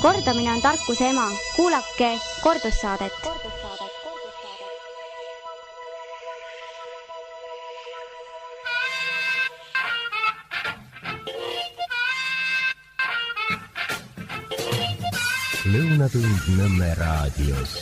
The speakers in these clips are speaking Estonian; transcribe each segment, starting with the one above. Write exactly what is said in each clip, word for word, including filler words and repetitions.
Kordamine on tarkuse ema. Kuulake kordussaadet. Lõunatund Nõmme raadios.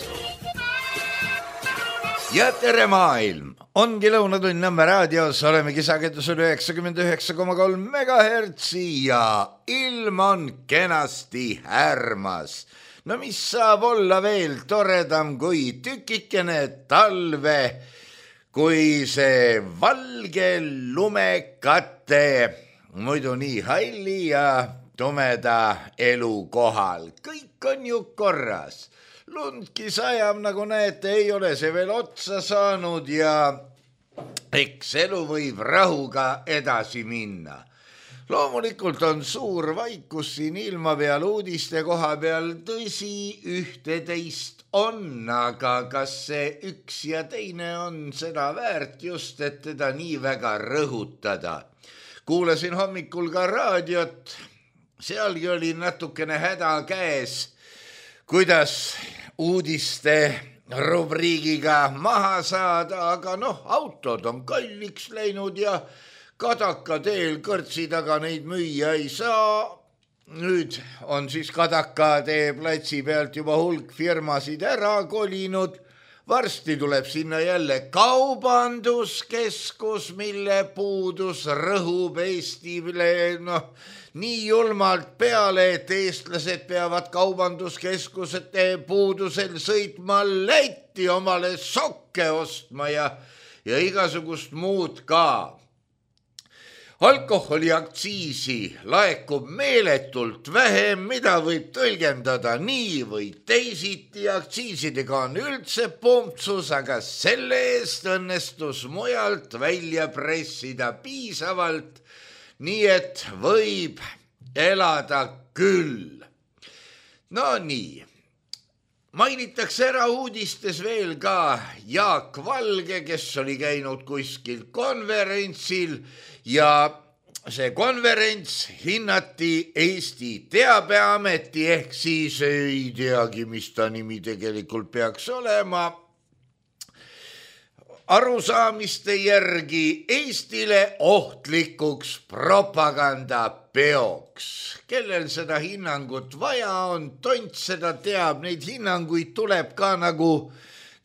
Ja tere maailm! Ongi Lõunatund Nõmme raadios, olemegi sagedusel üheksakümmend üheksa koma kolm megahertsi ja ilm on kenasti härmas. No mis saab olla veel toredam kui tükikene talve, kui see valge lumekate, muidu nii halli ja tumeda elu kohal. Kõik on ju korras. Lundki sajab, nagu näete, ei ole see veel otsa saanud ja eks elu võib rahuga edasi minna. Loomulikult on suur vaikus siin ilma peal uudiste koha peal, tõsi ühte-teist on, aga kas see üks ja teine on seda väärt just, et teda nii väga rõhutada. Kuulasin hommikul ka raadiot, sealgi oli natukene häda käes, kuidas uudiste rubriigiga maha saada, aga noh, autod on kalliks läinud ja Kadaka teel kõrtsi taga neid müüa ei saa. Nüüd on siis Kadaka tee platsi pealt juba hulk firmasid ära kolinud. Varsti tuleb sinna jälle kaubanduskeskus, mille puudus rõhub Eestile noh, nii julmalt peale, et eestlased peavad kaubanduskeskusete puudusel sõitma Lätti omale sokke ostma ja, ja igasugust muud ka. Alkoholiaktsiisi laekub meeletult vähem, mida võib tõlgendada nii või teisiti. Aktsiisidega on üldse pumpsus, aga selle eest õnnestus mujalt välja pressida piisavalt, nii et võib elada küll. No nii, mainitakse ära uudistes veel ka Jaak Valge, kes oli käinud kuskil konverentsil ja see konverents hinnati Eesti Teabeameti ehk siis ei teagi, mis ta nimi tegelikult peaks olema. Arusaamiste järgi Eestile ohtlikuks propagandapeoks. Kellel seda hinnangut vaja on, tont seda teab, neid hinnanguid tuleb ka nagu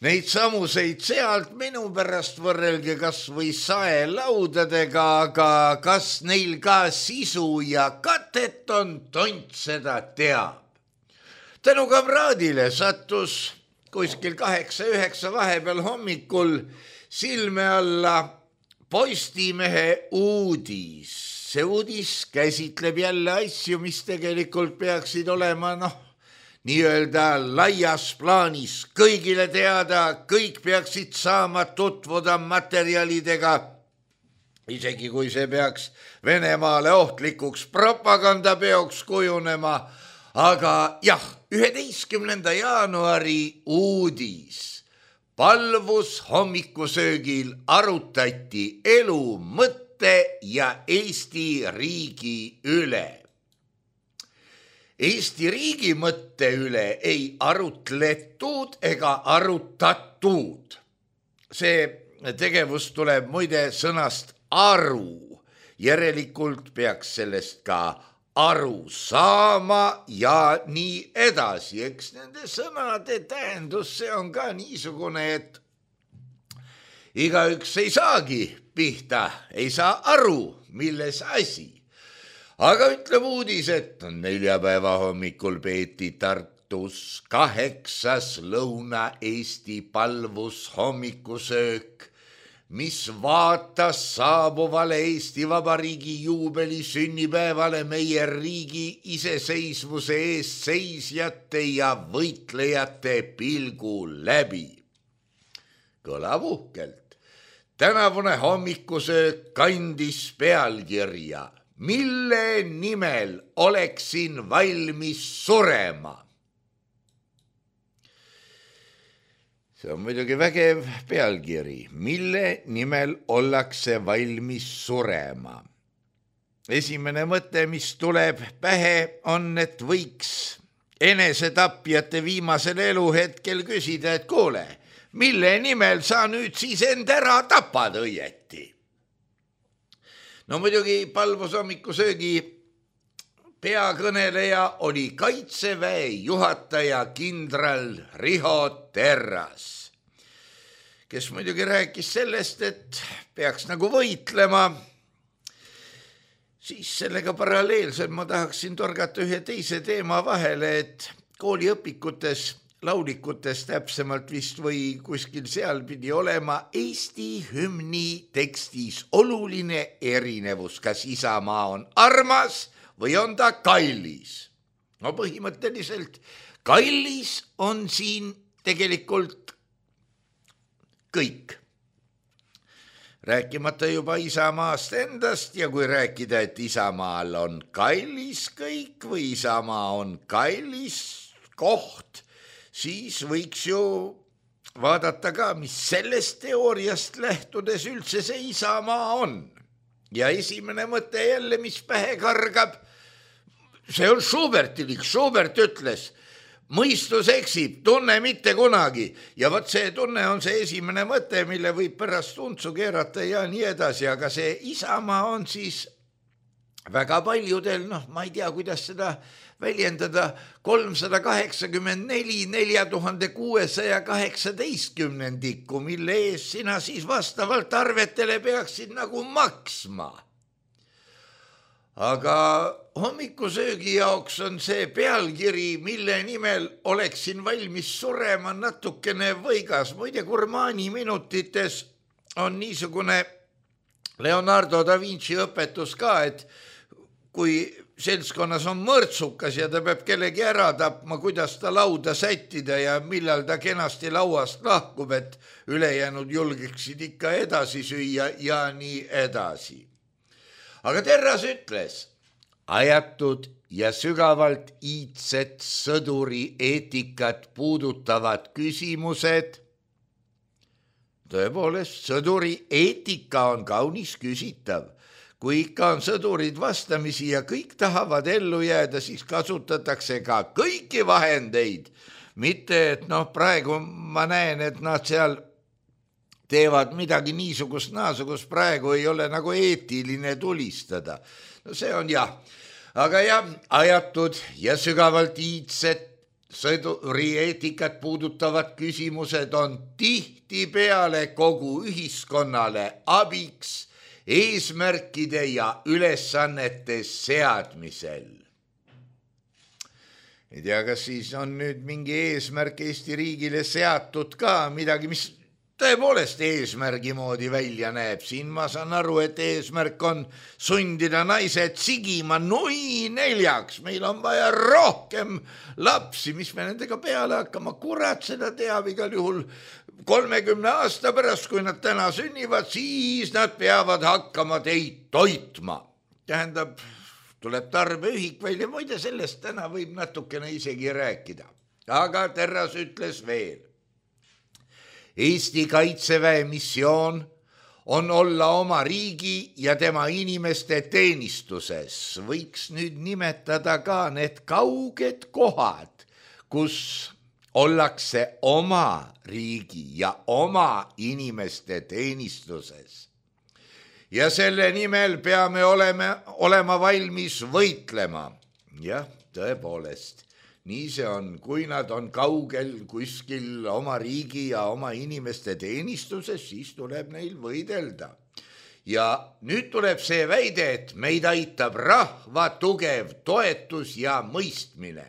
neid samuseid sealt, minu pärast võrrelge kas või saelaudadega, aga kas neil ka sisu ja katet on, tont seda teab. Tänu kamraadile sattus kuskil kaheksa üheksa vahepeal hommikul silme alla Postimehe uudis. See uudis käsitleb jälle asju, mis tegelikult peaksid olema, noh, nii-öelda laias plaanis kõigile teada, kõik peaksid saama tutvuda materjalidega, isegi kui see peaks Venemaale ohtlikuks propagandapeoks kujunema. Aga jah, üheteistkümnenda jaanuari uudis. Palvus hommikusöögil arutati elu, mõtte ja Eesti riigi üle. Eesti riigi mõtte üle ei arutletud ega arutatud. See tegevus tuleb muide sõnast aru. Järelikult peaks sellest ka aru saama ja nii edasi. Eks nende sõnade tähendus, see on ka niisugune, et igaüks ei saagi pihta, ei saa aru, milles asi. Aga ütleb uudis, et neljapäeva hommikul peeti Tartus kaheksas Lõuna-Eesti palvus hommikusöök, mis vaatas saabuvale Eesti Vabariigi juubeli sünnipäevale meie riigi iseseisvuse eest seisjate ja võitlejate pilgu läbi. Kõlab uhkelt. Tänavune hommikusöök kandis pealkirja, mille nimel oleksin valmis surema. See on muidugi vägev pealkiri, mille nimel ollakse valmis surema. Esimene mõte, mis tuleb pähe, on, et võiks enesetapjate viimasel eluhetkel küsida, et kuule, mille nimel sa nüüd siis end ära tapad õieti? No muidugi palvus hommikusöögi peakõneleja oli Kaitseväe juhataja kindral Riho Terras, kes muidugi rääkis sellest, et peaks nagu võitlema. Siis sellega paralleelselt ma tahaksin torgata ühe teise teema vahele, et kooliõpikutes, laulikutes täpsemalt vist või kuskil seal pidi olema Eesti hümni tekstis oluline erinevus, kas Isamaa on armas või on ta kallis. No põhimõtteliselt kallis on siin tegelikult kõik. Rääkimata juba Isamaast endast ja kui rääkida, et Isamaal on kallis kõik või Isamaa on kallis koht, siis võiks ju vaadata ka, mis sellest teooriast lähtudes üldse see Isamaa on. Ja esimene mõte jälle, mis pähe kargab, see on Schubertilik. Schubert ütles, mõistus eksib, tunne mitte kunagi. Ja võt see tunne on see esimene mõte, mille võib pärast untsu keerata ja nii edasi, aga see Isamaa on siis väga paljudel, noh, ma ei tea, kuidas seda väljendada, kolmsada kaheksakümmend neli nelja tuhande kuuesaja kaheksateistkümnendikku, mille ees sina siis vastavalt arvetele peaksid nagu maksma. Aga hommikusöögi jaoks on see pealkiri, mille nimel oleksin valmis surema, natukene võigas. Muide, Gurmani minutites on niisugune Leonardo da Vinci õpetus ka, et kui seltskonnas on mõrtsukas ja ta peab kellegi ära tapma, kuidas ta lauda sättida ja millal ta kenasti lauast lahkub, et ülejäänud julgeksid ikka edasi süüa ja nii edasi. Aga Terras ütles, ajatud ja sügavalt iidset sõduri eetikat puudutavad küsimused. Tõepoolest, sõduri eetika on kaunis küsitav. Kui ikka on sõdurid vastamisi ja kõik tahavad ellu jääda, siis kasutatakse ka kõiki vahendeid. Mitte, et noh, praegu ma näen, et nad seal teevad midagi niisugust naasugust, praegu ei ole nagu eetiline tulistada. No see on jah. Aga jah, ajatud ja sügavalt iidset sõduri eetikat puudutavad küsimused on tihtipeale kogu ühiskonnale abiks eesmärkide ja ülesannete seadmisel. Ei tea, kas siis on nüüd mingi eesmärk Eesti riigile seatud ka midagi, mis tõepoolest eesmärgi moodi välja näeb. Siin ma saan aru, et eesmärk on sundida naised sigima nui neljaks. Meil on vaja rohkem lapsi, mis me nendega peale hakkama. Kurat seda teab igal juhul kolmekümne aasta pärast, kui nad täna sünnivad, siis nad peavad hakkama teid toitma. Tähendab, tuleb tarbeühik välja, muide sellest täna võib natukene isegi rääkida. Aga Terras ütles veel. Eesti Kaitseväe missioon on olla oma riigi ja tema inimeste teenistuses. Võiks nüüd nimetada ka need kauged kohad, kus ollakse oma riigi ja oma inimeste teenistuses. Ja selle nimel peame olema, olema valmis võitlema. Jah, tõepoolest. Nii see on, kui nad on kaugel kuskil oma riigi ja oma inimeste teenistuses, siis tuleb neil võidelda. Ja nüüd tuleb see väide, et meid aitab rahva tugev toetus ja mõistmine.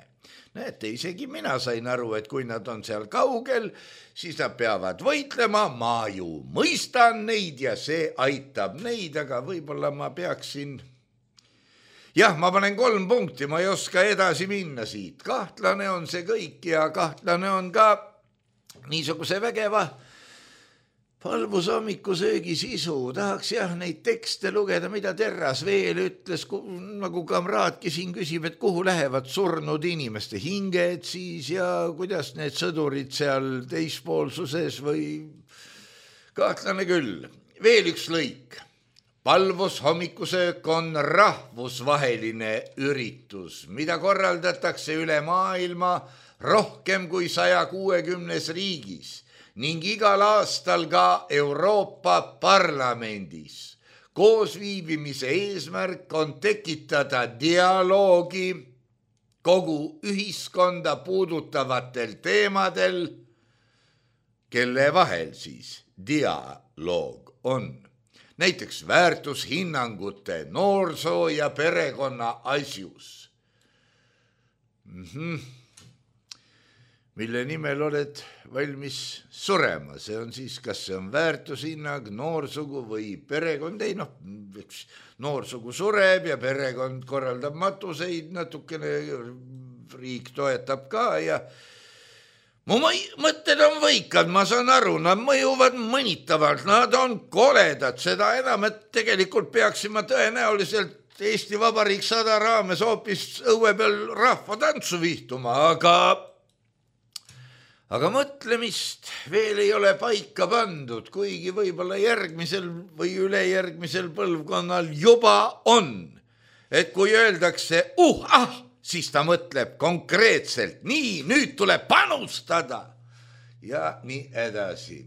Näete, isegi mina sain aru, et kui nad on seal kaugel, siis nad peavad võitlema, ma ju mõistan neid ja see aitab neid, aga võib-olla ma peaksin... Jah, ma panen kolm punkti, ma ei oska edasi minna siit. Kahtlane on see kõik ja kahtlane on ka niisuguse vägeva palvusommikusöögi sisu. Tahaks jah neid tekste lugeda, mida Terras veel ütles, nagu kamraadki siin küsib, et kuhu lähevad surnud inimeste hinged siis ja kuidas need sõdurid seal teispoolsuses või kahtlane küll. Veel üks lõik. palvus hommikusöök on rahvusvaheline üritus, mida korraldatakse üle maailma rohkem kui saja kuuekümnes riigis ning igal aastal ka Euroopa Parlamendis. Koosviibimise eesmärk on tekitada dialoogi kogu ühiskonda puudutavatel teemadel, kelle vahel siis dialoog on. Näiteks väärtushinnangute, noorsoo ja perekonna asjus. Mm-hmm. Mille nimel oled valmis surema, see on siis, kas see on väärtushinnang, noorsugu või perekond, ei noh, eks noorsugu sureb ja perekond korraldab matuseid, natukene riik toetab ka ja mu mõtted on võikad, ma saan aru, nad mõjuvad mõnitavalt, nad on koledad, seda enam, et tegelikult peaksime tõenäoliselt Eesti Vabariik sada raames hoopis õue peal rahva tantsu vihtuma, aga aga mõtlemist veel ei ole paika pandud, kuigi võib-olla järgmisel või ülejärgmisel põlvkonnal juba on, et kui öeldakse uh, ah, siis ta mõtleb konkreetselt, nii, nüüd tuleb panustada ja nii edasi.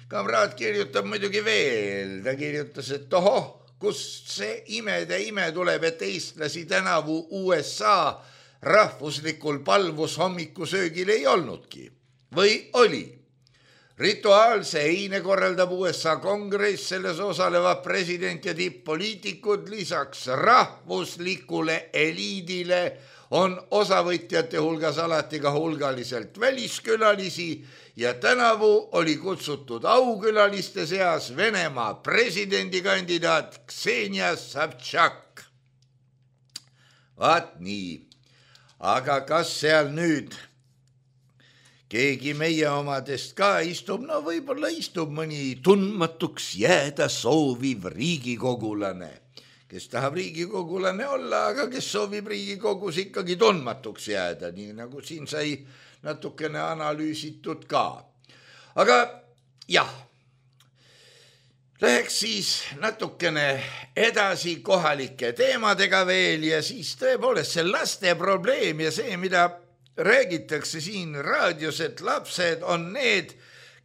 Kamraad kirjutab muidugi veel, ta kirjutas, et tohoh, kust see imede ime tuleb, et eestlasi tänavu U S A rahvuslikul palvus hommikusöögil ei olnudki või oli. Rituaalse eine korraldab U S A kongress, selles osalevad president ja tipp-poliitikud, lisaks rahvuslikule eliidile on osavõtjate hulgas alati ka hulgaliselt väliskülalisi ja tänavu oli kutsutud aukülaliste seas Venemaa presidendikandidaat Ksenia Savtšak. Vaat nii, aga kas seal nüüd keegi meie omadest ka istub, no võib-olla istub mõni tundmatuks jääda sooviv riigikogulane, kes tahab riigikogulane olla, aga kes soovib Riigikogus ikkagi tundmatuks jääda, nii nagu siin sai natukene analüüsitud ka. Aga jah, läheks siis natukene edasi kohalike teemadega veel ja siis tõepoolest see laste probleem ja see, mida räägitakse siin raadios, et lapsed on need,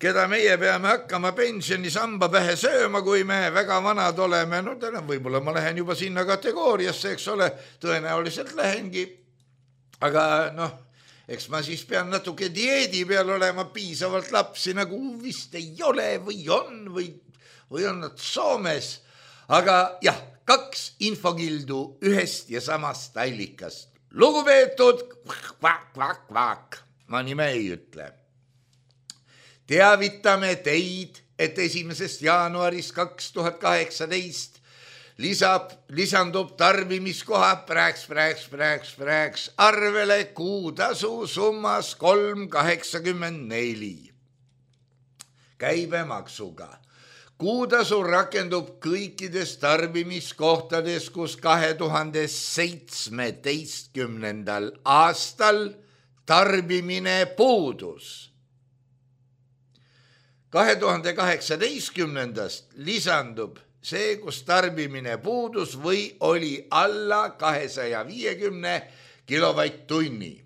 keda meie peame hakkama pensionisamba pähe sööma, kui me väga vanad oleme. No täna võib-olla ma lähen juba sinna kategooriasse, eks ole, tõenäoliselt lähengi. Aga noh, eks ma siis pean natuke dieedi peal olema, piisavalt lapsi nagu vist ei ole või on või, või on nad Soomes. Aga jah, kaks infokildu ühest ja samast allikast. Lugupeetud kvak, kvak, kvak, ma nime ei ütle. Teavitame teid, et esimesest jaanuarist kaks tuhat kaheksateist lisab, lisandub tarbimiskoha prääks, prääks, prääks, prääks arvele kuutasu summas kolm kaheksakümmend neli käibemaksuga. Kuutasu rakendub kõikides tarbimiskohtades, kus kahe tuhande seitsmeteistkümnendal aastal tarbimine puudus. kahe tuhande kaheksateistkümnendast lisandub see, kus tarbimine puudus või oli alla kahesaja viiekümne kilovatt-tunni.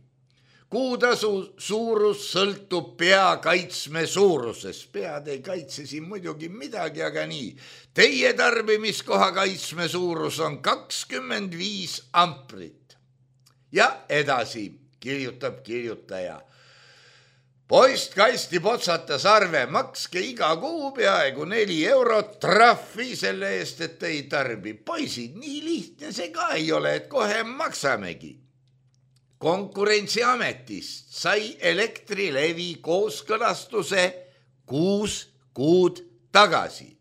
Kuutasu suurus sõltub pea kaitsme suurusest. Pead ei kaitse siin muidugi midagi, aga nii. Teie tarbimiskoha kaitsme suurus on kakskümmend viis amprit. Ja edasi kirjutab kirjutaja. Postkasti potsatas arve, makske iga kuu peaaegu neli eurot trahvi selle eest, et ei tarbi. Poisid, nii lihtne see ka ei ole, et kohe maksamegi. Konkurentsiametist sai Elektrilevi kooskõlastuse kuus kuud tagasi.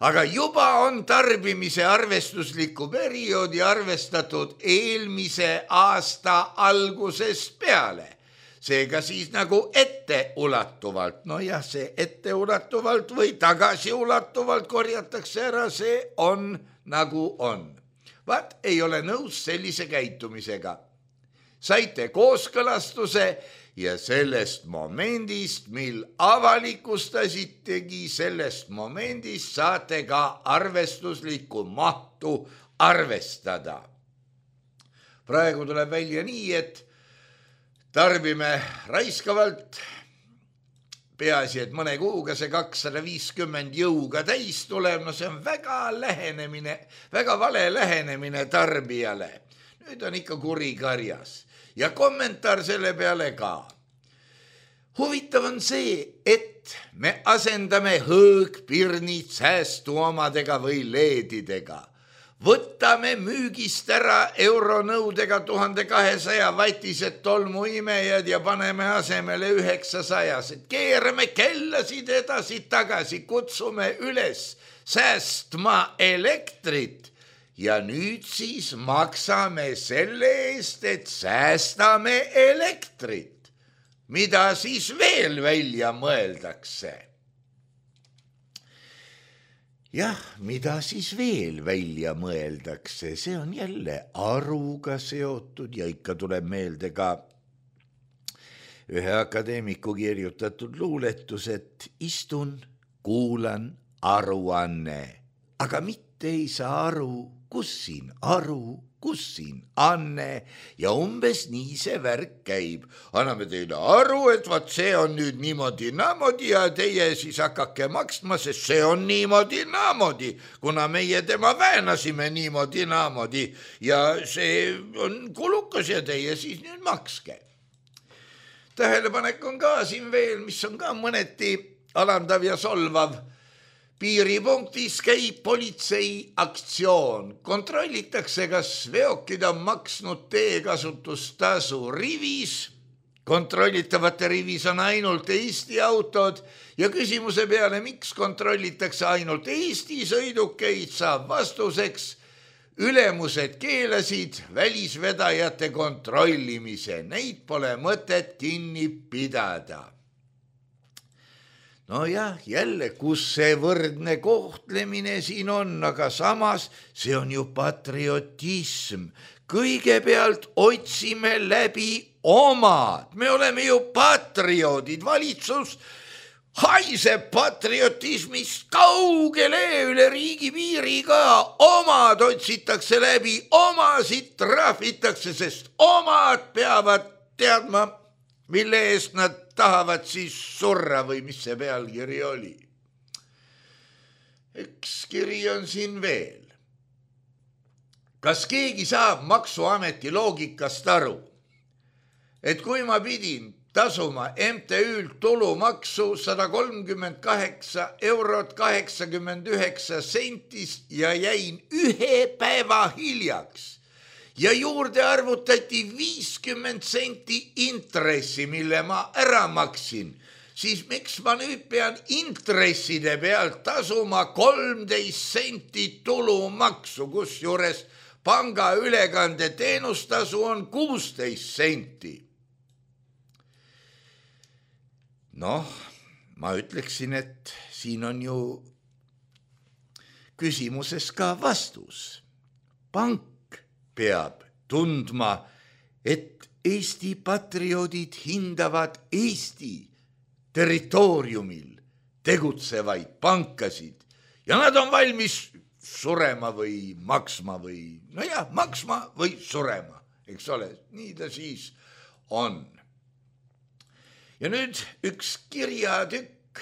Aga juba on tarbimise arvestusliku perioodi arvestatud eelmise aasta algusest peale. Seega siis nagu etteulatuvalt, no jah, see etteulatuvalt või tagasiulatuvalt korjatakse ära, see on nagu on. Vaat ei ole nõus sellise käitumisega. Saite kooskõlastuse ja sellest momendist, mil avalikustasitegi, sellest momendist saate ka arvestuslikku mahtu arvestada. Praegu tuleb välja nii, et tarbime raiskavalt, peaasi, et mõne kuuga see kakssada viiskümmend jõuga täis tuleb, no see on väga lähenemine, väga vale lähenemine tarbijale. Nüüd on ikka kuri karjas. Ja kommentaar selle peale ka. Huvitav on see, et me asendame hõõgpirnid säästuomadega või leedidega. Võtame müügist ära euronõudega tuhande kahesaja vatised tolmuimejad ja paneme asemele üheksasajased. Keerame kellasid edasi tagasi, kutsume üles säästma elektrit. Ja nüüd siis maksame selle eest, et säästame elektrit. Mida siis veel välja mõeldakse? Jah, mida siis veel välja mõeldakse? See on jälle aruga seotud ja ikka tuleb meelde ka ühe akadeemiku kirjutatud luuletus, et istun, kuulan aruanne, aga mitte ei saa aru, kus siin aru, kus siin anne ja umbes nii see värk käib. Anname teile aru, et vaat see on nüüd niimoodi naamodi ja teie siis hakake maksma, sest see on niimoodi naamodi, kuna meie tema väänasime niimoodi naamodi ja see on kulukas ja teie siis nüüd makske. Tähelepanek on ka siin veel, mis on ka mõneti alandav ja solvav. Piiripunktis käib politsei aktsioon. Kontrollitakse, kas veokid on maksnud teekasutustasu rivis. Kontrollitavate rivis on ainult Eesti autod ja küsimuse peale, miks kontrollitakse ainult Eesti sõidukeid, saab vastuseks. Ülemused keelasid välisvedajate kontrollimise. Neid pole mõtet kinni pidada. No jah, jälle, kus see võrdne kohtlemine siin on, aga samas see on ju patriotism. Kõigepealt otsime läbi omad. Me oleme ju patrioodid. Valitsus haiseb patriotismist kaugele üle riigi piiri ka. Omad otsitakse läbi, omasid trahvitakse, sest omad peavad teadma, mille eest nad tahavad siis surra või mis see pealkiri oli. Üks kiri on siin veel. Kas keegi saab maksuameti loogikast aru, et kui ma pidin tasuma M T Ü'lt tulumaksu sada kolmkümmend kaheksa eurot kaheksakümmend üheksa sentist ja jäin ühe päeva hiljaks, ja juurde arvutati viiskümmend senti intressi, mille ma ära maksin, siis miks ma nüüd pean intresside pealt tasuma kolmteist senti tulumaksu, kus juures panga ülekande teenustasu on kuusteist senti. Noh, ma ütleksin, et siin on ju küsimuses ka vastus. Pank peab tundma, et Eesti patrioodid hindavad Eesti territooriumil tegutsevaid pankasid ja nad on valmis surema või maksma või, no jah, maksma või surema, eks ole, nii ta siis on. Ja nüüd üks kirjatükk,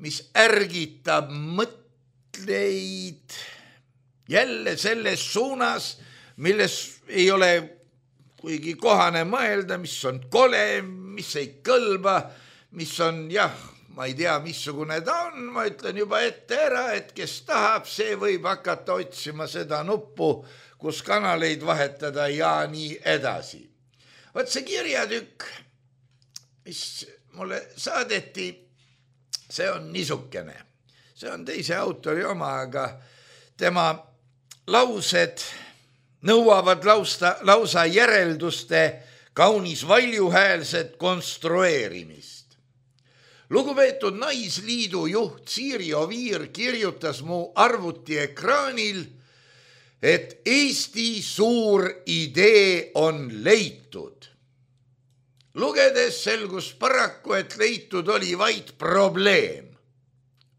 mis ärgitab mõtleid jälle selles suunas, milles ei ole kuigi kohane mõelda, mis on kole, mis ei kõlba, mis on, jah, ma ei tea, missugune ta on, ma ütlen juba ette ära, et kes tahab, see võib hakata otsima seda nuppu, kus kanaleid vahetada ja nii edasi. Vaat see kirjatükk, mis mulle saadeti, see on niisukene. See on teise autori oma, aga tema laused nõuavad lausta, lausa järelduste kaunis valjuhäälset konstrueerimist. Lugupeetud Naisliidu juht Siiri Oviir kirjutas mu arvuti ekraanil, et Eesti suur idee on leitud. lugedes selgus paraku, et leitud oli vaid probleem.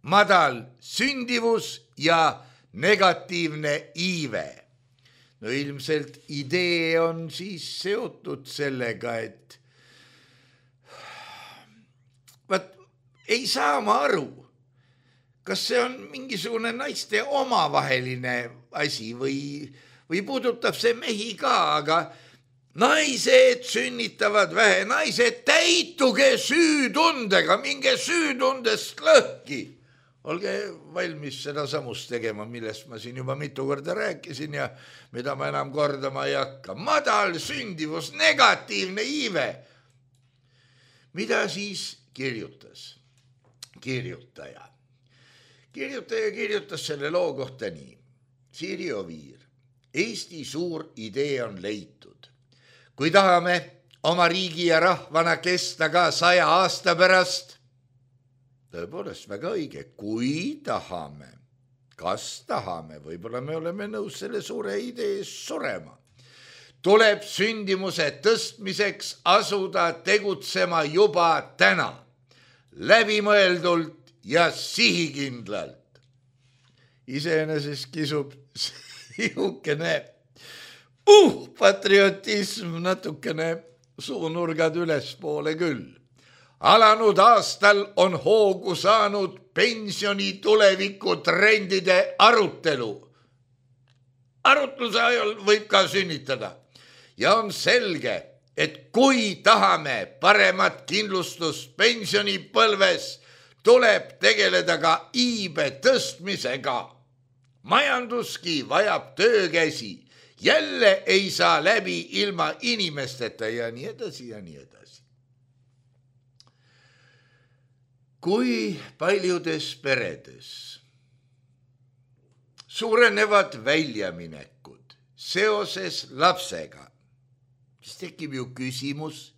Madal sündivus ja negatiivne iive. No ilmselt idee on siis seotud sellega, et vaat ei saa ma aru, kas see on mingisugune naiste omavaheline asi või, või puudutab see mehi ka, aga naised sünnitavad vähe, naised täituge süütundega, minge süütundest lõhki. Olge valmis seda samust tegema, millest ma siin juba mitu korda rääkisin ja mida ma enam kordama ei hakka. Madal sündivus, negatiivne iive. Mida siis kirjutas? Kirjutaja. Kirjutaja kirjutas selle loo kohta nii. Siiri Oviir. Eesti suur idee on leitud. Kui tahame oma riigi ja rahvana kesta ka saja aasta pärast, tõepoolest väga õige, kui tahame, kas tahame, võib-olla me oleme nõus selle suure idee surema, tuleb sündimuse tõstmiseks asuda tegutsema juba täna, läbimõeldult ja sihikindlalt. Iseenesest kisub sihukene uh, patriotism natukene suunurgad ülespoole küll. Alanud aastal on hoogu saanud pensioni tuleviku trendide arutelu. Arutluse ajal võib ka sünnitada. Ja on selge, et kui tahame paremat kindlustust pensionipõlves, tuleb tegeleda ka iibe tõstmisega. Majanduski vajab töökäsi. Jälle ei saa läbi ilma inimesteta ja nii edasi ja nii edasi. Kui paljudes peredes suurenevad väljaminekud seoses lapsega, siis tekib ju küsimus,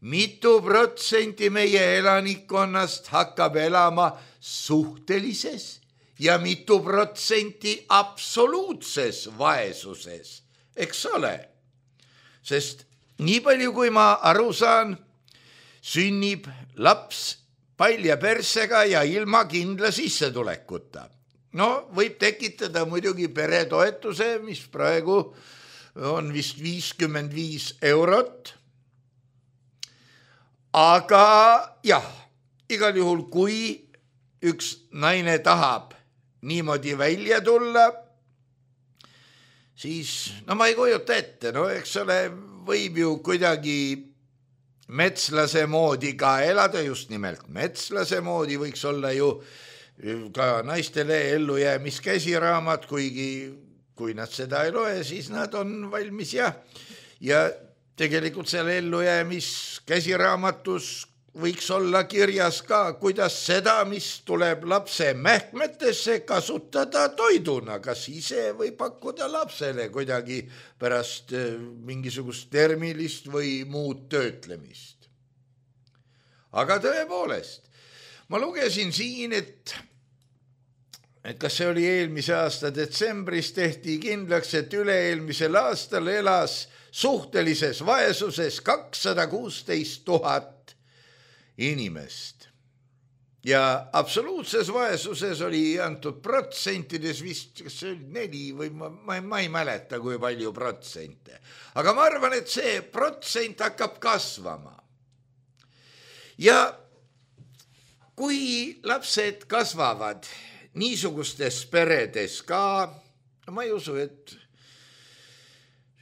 mitu protsenti meie elanikkonnast hakkab elama suhtelises ja mitu protsenti absoluutses vaesuses, eks ole? Sest nii palju, kui ma aru saan, sünnib laps palja persega ja ilma kindla sissetulekuta. No võib tekitada muidugi peretoetuse, mis praegu on vist viiskümmend viis eurot. Aga jah, igal juhul, kui üks naine tahab niimoodi välja tulla, siis no ma ei kujuta ette, no eks ole, võib ju kuidagi metslase moodi ka elada, just nimelt metslase moodi võiks olla ju ka naistele ellujäämiskäsiraamat, kuigi kui nad seda ei loe, siis nad on valmis ja, ja tegelikult selle ellujäämiskäsiraamatus võiks olla kirjas ka, kuidas seda, mis tuleb lapse mähkmetesse, kasutada toiduna, kas ise või pakkuda lapsele kuidagi pärast mingisugust termilist või muud töötlemist. Aga tõepoolest, ma lugesin siin, et, et kas see oli eelmise aasta detsembris, tehti kindlaks, et üle-eelmisel aastal elas suhtelises vaesuses kakssada kuusteist tuhat inimest. Ja absoluutses vaesuses oli antud protsentides vist, kas see oli neli või ma, ma, ma ei mäleta, kui palju protsente. Aga ma arvan, et see protsent hakkab kasvama. Ja kui lapsed kasvavad niisugustes peredes ka, ma ei usu, et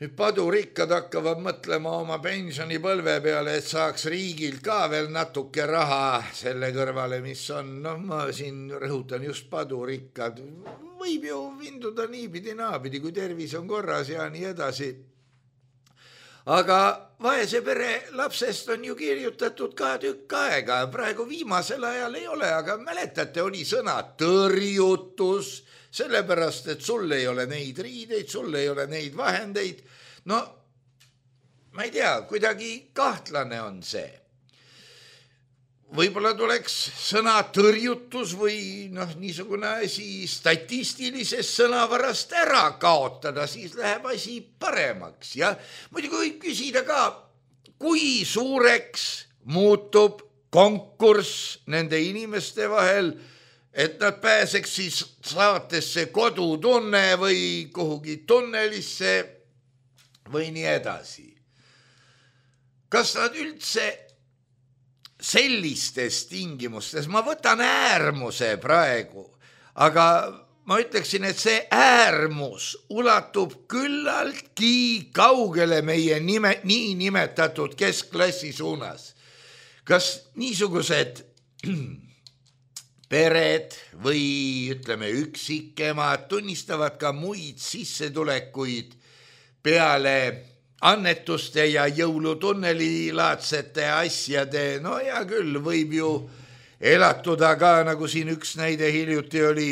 nüüd padurikkad hakkavad mõtlema oma pensionipõlve peale, et saaks riigilt ka veel natuke raha selle kõrvale, mis on, noh, ma siin rõhutan just padurikkad, võib ju vinduda niipidi naapidi, kui tervis on korras ja nii edasi. Aga vaese pere lapsest on ju kirjutatud ka tükk aega, praegu viimasel ajal ei ole, aga mäletate, oli sõna tõrjutus, sellepärast, et sul ei ole neid riideid, sul ei ole neid vahendeid. No, ma ei tea, kuidagi kahtlane on see. Võib-olla tuleks sõna tõrjutus või noh, niisugune asi statistilises sõnavarast ära kaotada, siis läheb asi paremaks. Ja muidugi võib küsida ka, kui suureks muutub konkurss nende inimeste vahel, et nad pääseks siis saatesse Kodutunne või kuhugi tunnelisse või nii edasi. Kas nad üldse sellistes tingimustes, ma võtan äärmuse praegu, aga ma ütleksin, et see äärmus ulatub küllaltki kaugele meie nime, nii nimetatud keskklassi suunas. Kas niisugused pered või ütleme üksikemad tunnistavad ka muid sissetulekuid peale annetuste ja jõulutunneli laadsete asjade, no hea küll, võib ju elatuda ka, nagu siin üks näide hiljuti oli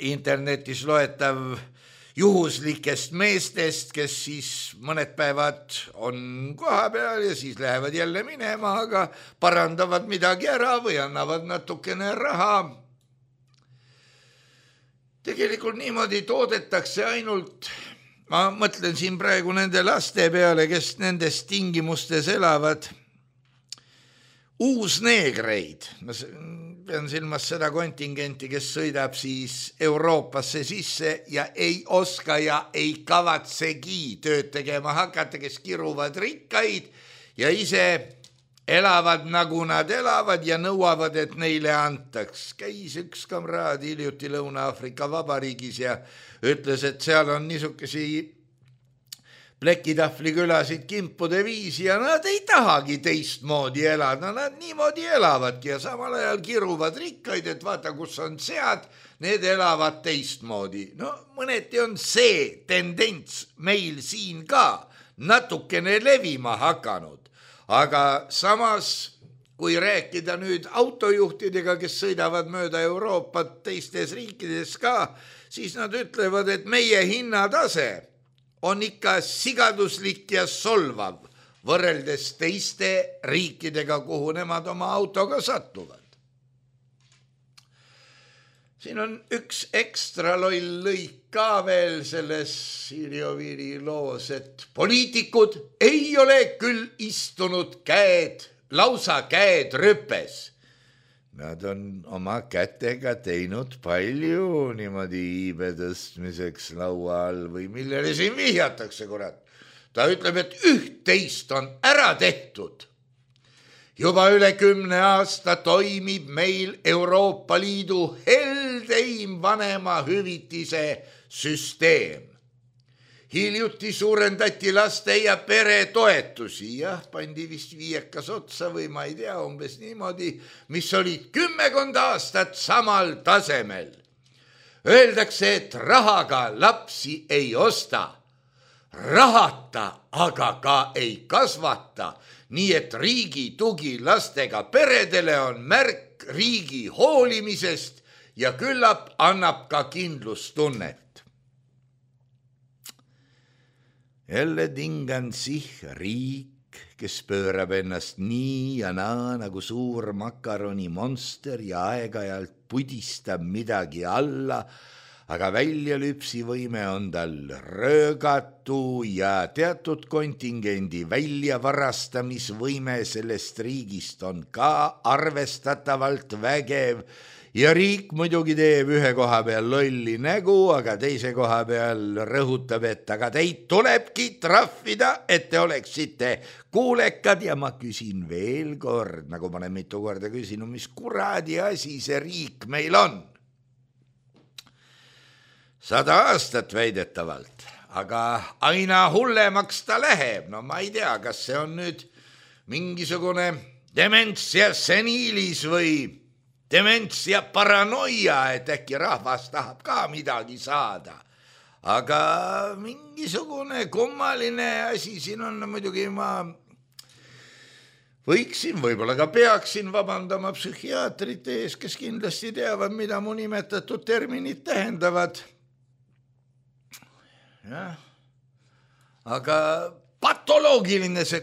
internetis loetav juhuslikest meestest, kes siis mõned päevad on koha peal ja siis lähevad jälle minema, aga parandavad midagi ära või annavad natukene raha. Tegelikult niimoodi toodetakse ainult, ma mõtlen siin praegu nende laste peale, kes nendes tingimustes elavad, uusneegreid. Ma pean silmas seda kontingenti, kes sõidab siis Euroopasse sisse ja ei oska ja ei kavatsegi tööd tegema hakata, kes kiruvad rikkaid ja ise elavad nagu nad elavad ja nõuavad, et neile antaks. Käis üks kamraad hiljuti Lõuna-Aafrika Vabariigis ja ütles, et seal on niisugesi plekitahvli külasid kimpude viisi ja nad ei tahagi teistmoodi elada, nad niimoodi elavadki ja samal ajal kiruvad rikkaid, et vaata, kus on sead, need elavad teistmoodi. No mõneti on see tendents meil siin ka natukene levima hakanud, aga samas, kui rääkida nüüd autojuhtidega, kes sõidavad mööda Euroopat teistes riikides ka, siis nad ütlevad, et meie hinnatase on ikka sigaduslik ja solvav võrreldes teiste riikidega, kuhu nemad oma autoga satuvad. Siin on üks ekstra loll lõik ka veel selles Siiri Oviiri loos, et poliitikud ei ole küll istunud käed, lausa käed rüpes. Nad on oma kätega teinud palju niimoodi iibe tõstmiseks laua all või millele siin vihjatakse, kurat. Ta ütleb, et üht-teist on ära tehtud. Juba üle kümne aasta toimib meil Euroopa Liidu heldeim vanema hüvitise süsteem. Hiljuti suurendati laste ja pere toetusi, jah, pandi vist viiekas otsa või ma ei tea, umbes niimoodi, mis olid kümmekond aastat samal tasemel. Öeldakse, et rahaga lapsi ei osta, rahata aga ka ei kasvata, nii et riigi tugi lastega peredele on märk riigi hoolimisest ja küllap annab ka kindlustunnet. Jälle tingan sih riik, kes pöörab ennast nii ja naa nagu suur makaroni monster ja aeg-ajalt pudistab midagi alla, aga väljalüpsivõime on tal röögatu ja teatud kontingendi väljavarastamisvõime sellest riigist on ka arvestatavalt vägev ja riik muidugi teeb ühe koha peal lolli nägu, aga teise koha peal rõhutab, et aga teid tulebki trahvida, et te oleksite kuulekad ja ma küsin veel kord, nagu ma olen mitu korda küsinud, mis kuradi asi see riik meil on. Sada aastat väidetavalt, aga aina hullemaks ta läheb. No ma ei tea, kas see on nüüd mingisugune dementsia seniilis või dementsia paranoia, et äkki rahvas tahab ka midagi saada. Aga mingisugune kummaline asi siin on, muidugi ma võiksin, võib-olla ka peaksin vabandama psühhiaatrite ees, kes kindlasti teavad, mida mu nimetatud terminid tähendavad. Jah. Aga patoloogiline see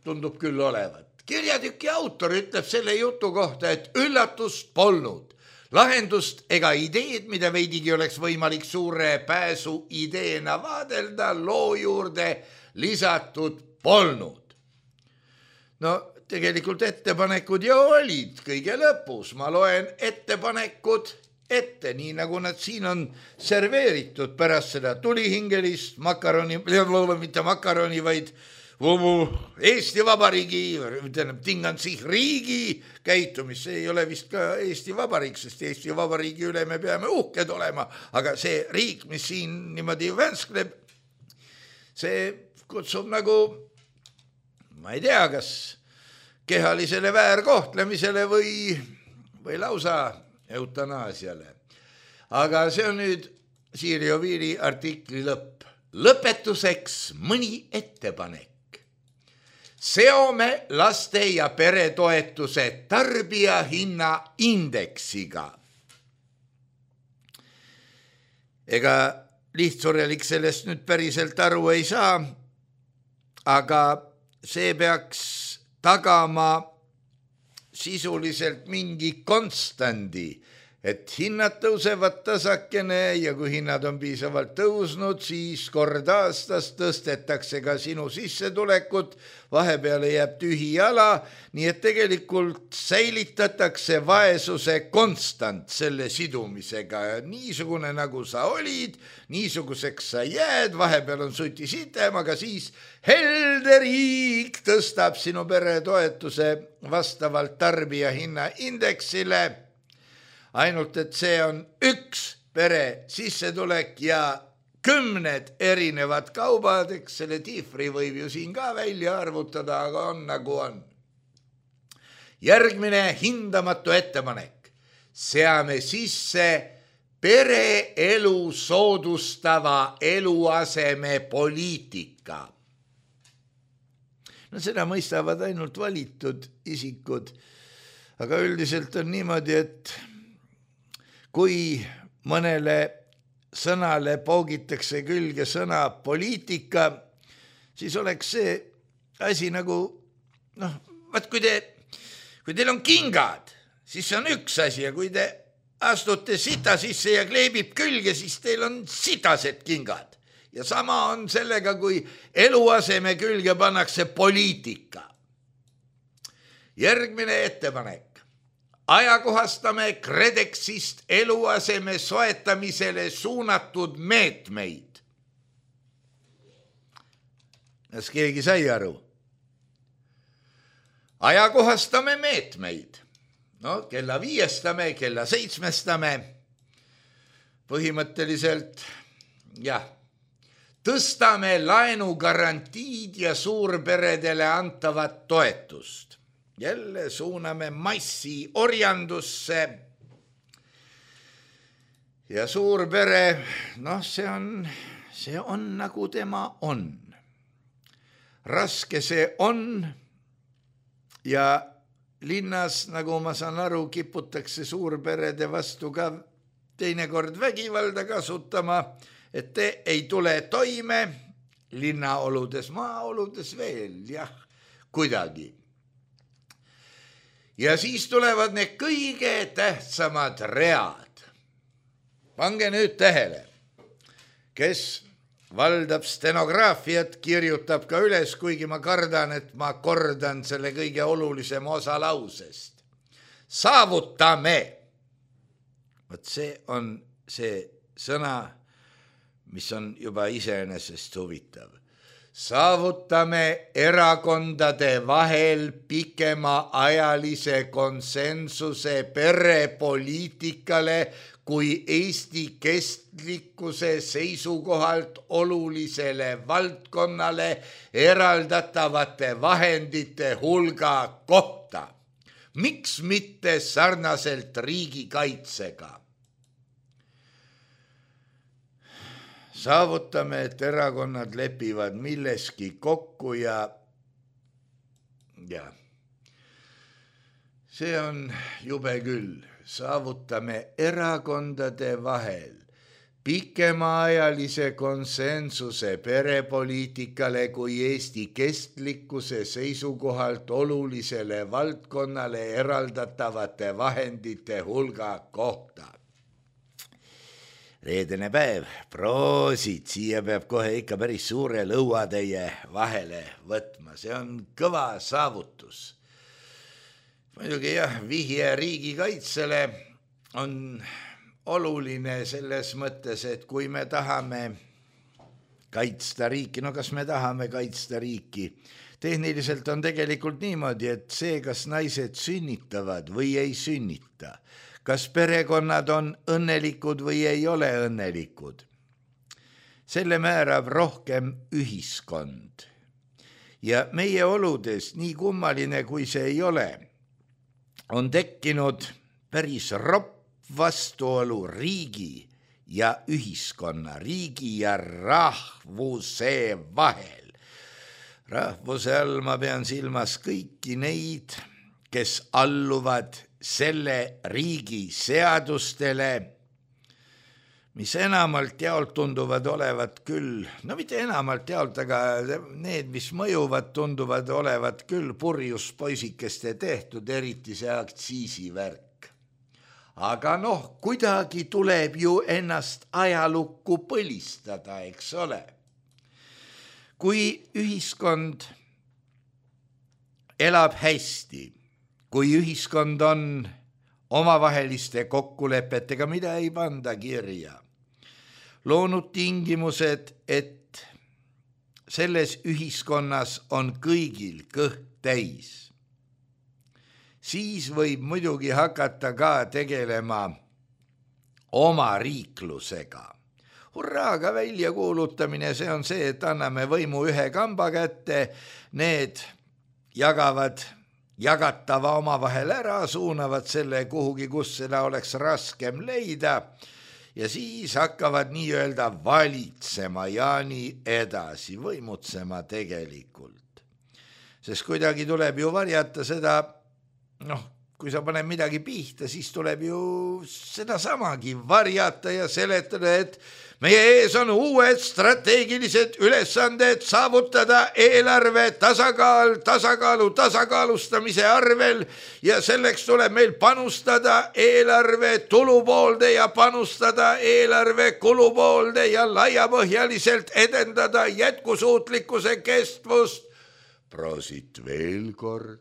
tundub küll olevat. Kirjatüki autor ütleb selle jutu kohta, et üllatust polnud. Lahendust ega ideed, mida veidigi oleks võimalik suure pääsu ideena vaadelda, loo juurde lisatud polnud. no tegelikult ettepanekud ju olid kõige lõpus, ma loen ettepanekud ette, nii nagu nad siin on serveeritud pärast seda tulihingelist makaroni, mitte makaroni, vaid Eesti Vabariigi, tingan siis riigi käitumist, see ei ole vist ka Eesti Vabariik, sest Eesti Vabariigi üle me peame uhked olema, aga see riik, mis siin niimoodi vänskleb, see kutsub nagu, ma ei tea, kas kehalisele väärkohtlemisele või, või lausa eutanaasiale. Aga see on nüüd Siiri Oviiri artikli lõpp. Lõpetuseks mõni ettepanek. Seome laste ja peretoetuse tarbijahinna indeksiga. Ega lihtsurelik sellest nüüd päriselt aru ei saa, aga see peaks tagama sisuliselt mingi konstandi, et hinnad tõusevad tasakene ja kui hinnad on piisavalt tõusnud, siis kord aastas tõstetakse ka sinu sissetulekut, vahepeale jääb tühi jala, nii et tegelikult säilitatakse vaesuse konstant selle sidumisega. Niisugune nagu sa olid, niisuguseks sa jääd, vahepeal on suti sitem, aga siis helde riik tõstab sinu peretoetuse vastavalt tarbijahinna indeksile. Ainult, et see on üks pere sissetulek ja kümned erinevad kaubad, eks selle tiifri võib ju siin ka välja arvutada, aga on nagu on. Järgmine hindamatu ettepanek. Seame sisse pereelu soodustava eluaseme poliitika. No seda mõistavad ainult valitud isikud, aga üldiselt on niimoodi, et kui mõnele sõnale poogitakse külge sõna poliitika, siis oleks see asi nagu, noh, vaat kui te, kui teil on kingad, siis see on üks asi ja kui te astute sita sisse ja kleebib külge, siis teil on sitased kingad. Ja sama on sellega, kui eluaseme külge pannakse poliitika. Järgmine ettepanek. Ajakohastame KredExist eluaseme soetamisele suunatud meetmeid. Kas keegi sai aru? Ajakohastame meetmeid. No, kella viiestame, kella seitsmestame. Põhimõtteliselt, jah, tõstame laenugarantiid ja suurperedele antavat toetust. Jälle suuname massi orjandusse ja suurpere, noh, see on, see on nagu tema on. Raske see on ja linnas, nagu ma saan aru, kiputakse suurperede vastu ka teinekord vägivalda kasutama, et te ei tule toime linnaoludes, maaoludes veel, jah, kuidagi. Ja siis tulevad need kõige tähtsamad read. Pange nüüd tähele, kes valdab stenograafiat, kirjutab ka üles, kuigi ma kardan, et ma kordan selle kõige olulisema osa lausest. Saavutame. Võt see on see sõna, mis on juba iseenesest huvitav. Saavutame erakondade vahel pikema ajalise konsensuse perepoliitikale kui Eesti kestlikkuse seisukohalt olulisele valdkonnale eraldatavate vahendite hulga kohta. Miks mitte sarnaselt riigikaitsega? Saavutame, et erakonnad lepivad milleski kokku ja, ja see on jube küll. Saavutame erakondade vahel pikemaajalise konsensuse perepoliitikale kui Eesti kestlikkuse seisukohalt olulisele valdkonnale eraldatavate vahendite hulga kohta. reedene päev, proosid, siia peab kohe ikka päris suure lõuatäie vahele võtma, see on kõva saavutus. Muidugi jah, vihje riigikaitsele on oluline selles mõttes, et kui me tahame kaitsta riiki, no kas me tahame kaitsta riiki, tehniliselt on tegelikult niimoodi, et see, kas naised sünnitavad või ei sünnita, kas perekonnad on õnnelikud või ei ole õnnelikud, selle määrab rohkem ühiskond. Ja meie oludes, nii kummaline kui see ei ole, on tekkinud päris ropp vastuolu riigi ja ühiskonna, riigi ja rahvuse vahel. Rahvuse all ma pean silmas kõiki neid, kes alluvad selle riigi seadustele, mis enamalt jaolt tunduvad olevat küll, no mitte enamalt jaolt, aga need, mis mõjuvad, tunduvad olevat küll purjus poisikeste tehtud, eriti see aktsiisivärk. Aga noh, kuidagi tuleb ju ennast ajalukku põlistada, eks ole. Kui ühiskond elab hästi, kui ühiskond on omavaheliste kokkulepetega, mida ei panda kirja, loonud tingimused, et selles ühiskonnas on kõigil kõht täis, siis võib muidugi hakata ka tegelema oma riiklusega. Hurraaga välja kuulutamine, see on see, et anname võimu ühe kamba kätte, need jagavad jagatava omavahel ära, suunavad selle kuhugi, kus seda oleks raskem leida ja siis hakkavad nii-öelda valitsema ja nii edasi, võimutsema tegelikult. Sest kuidagi tuleb ju varjata seda, noh, kui sa paned midagi pihta, siis tuleb ju seda samagi varjata ja seletada, et meie ees on uued strateegilised ülesanded saavutada eelarve tasakaal, tasakaalu tasakaalustamise arvel ja selleks tuleb meil panustada eelarve tulupoolde ja panustada eelarve kulupoolde ja laiapõhjaliselt edendada jätkusuutlikkuse kestvust. Proosit veel kord.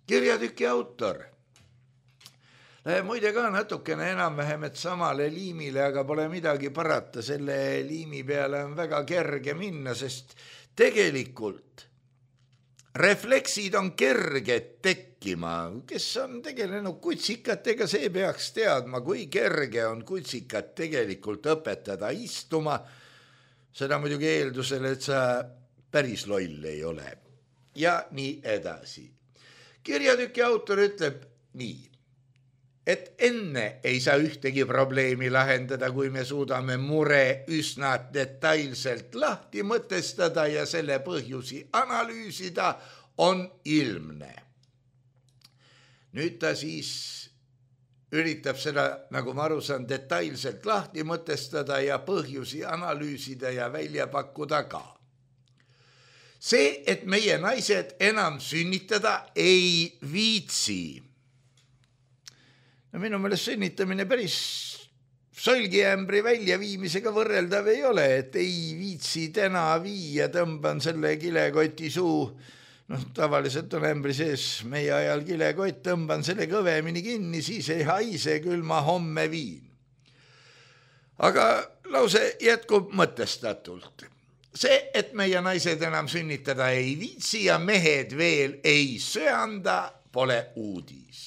Kirjatüki autor. Muide ka natukene enam-vähem, et samale liimile, aga pole midagi parata, selle liimi peale on väga kerge minna, sest tegelikult refleksid on kerged tekkima. Kes on tegelenud kutsikatega, see peaks teadma, kui kerge on kutsikat tegelikult õpetada istuma. Seda muidugi eeldusel, et sa päris loll ei ole. Ja nii edasi. Kirjatüki autor ütleb nii, et enne ei saa ühtegi probleemi lahendada, kui me suudame mure üsna detailselt lahti mõtestada ja selle põhjusi analüüsida, on ilmne. Nüüd ta siis üritab seda, nagu ma aru saan, detailselt lahti mõtestada ja põhjusi analüüsida ja välja pakkuda ka. See, et meie naised enam sünnitada ei viitsi. No minu meelest sünnitamine päris solgiämbri väljaviimisega võrreldav ei ole, et ei viitsi täna viia, tõmban selle kilekoti suu, noh tavaliselt on ämbri sees meie ajal kilekott, tõmban selle kõvemini kinni, siis ei haise, küll ma homme viin. Aga lause jätkub mõtestatult. See, et meie naised enam sünnitada ei viitsi ja mehed veel ei söanda, pole uudis.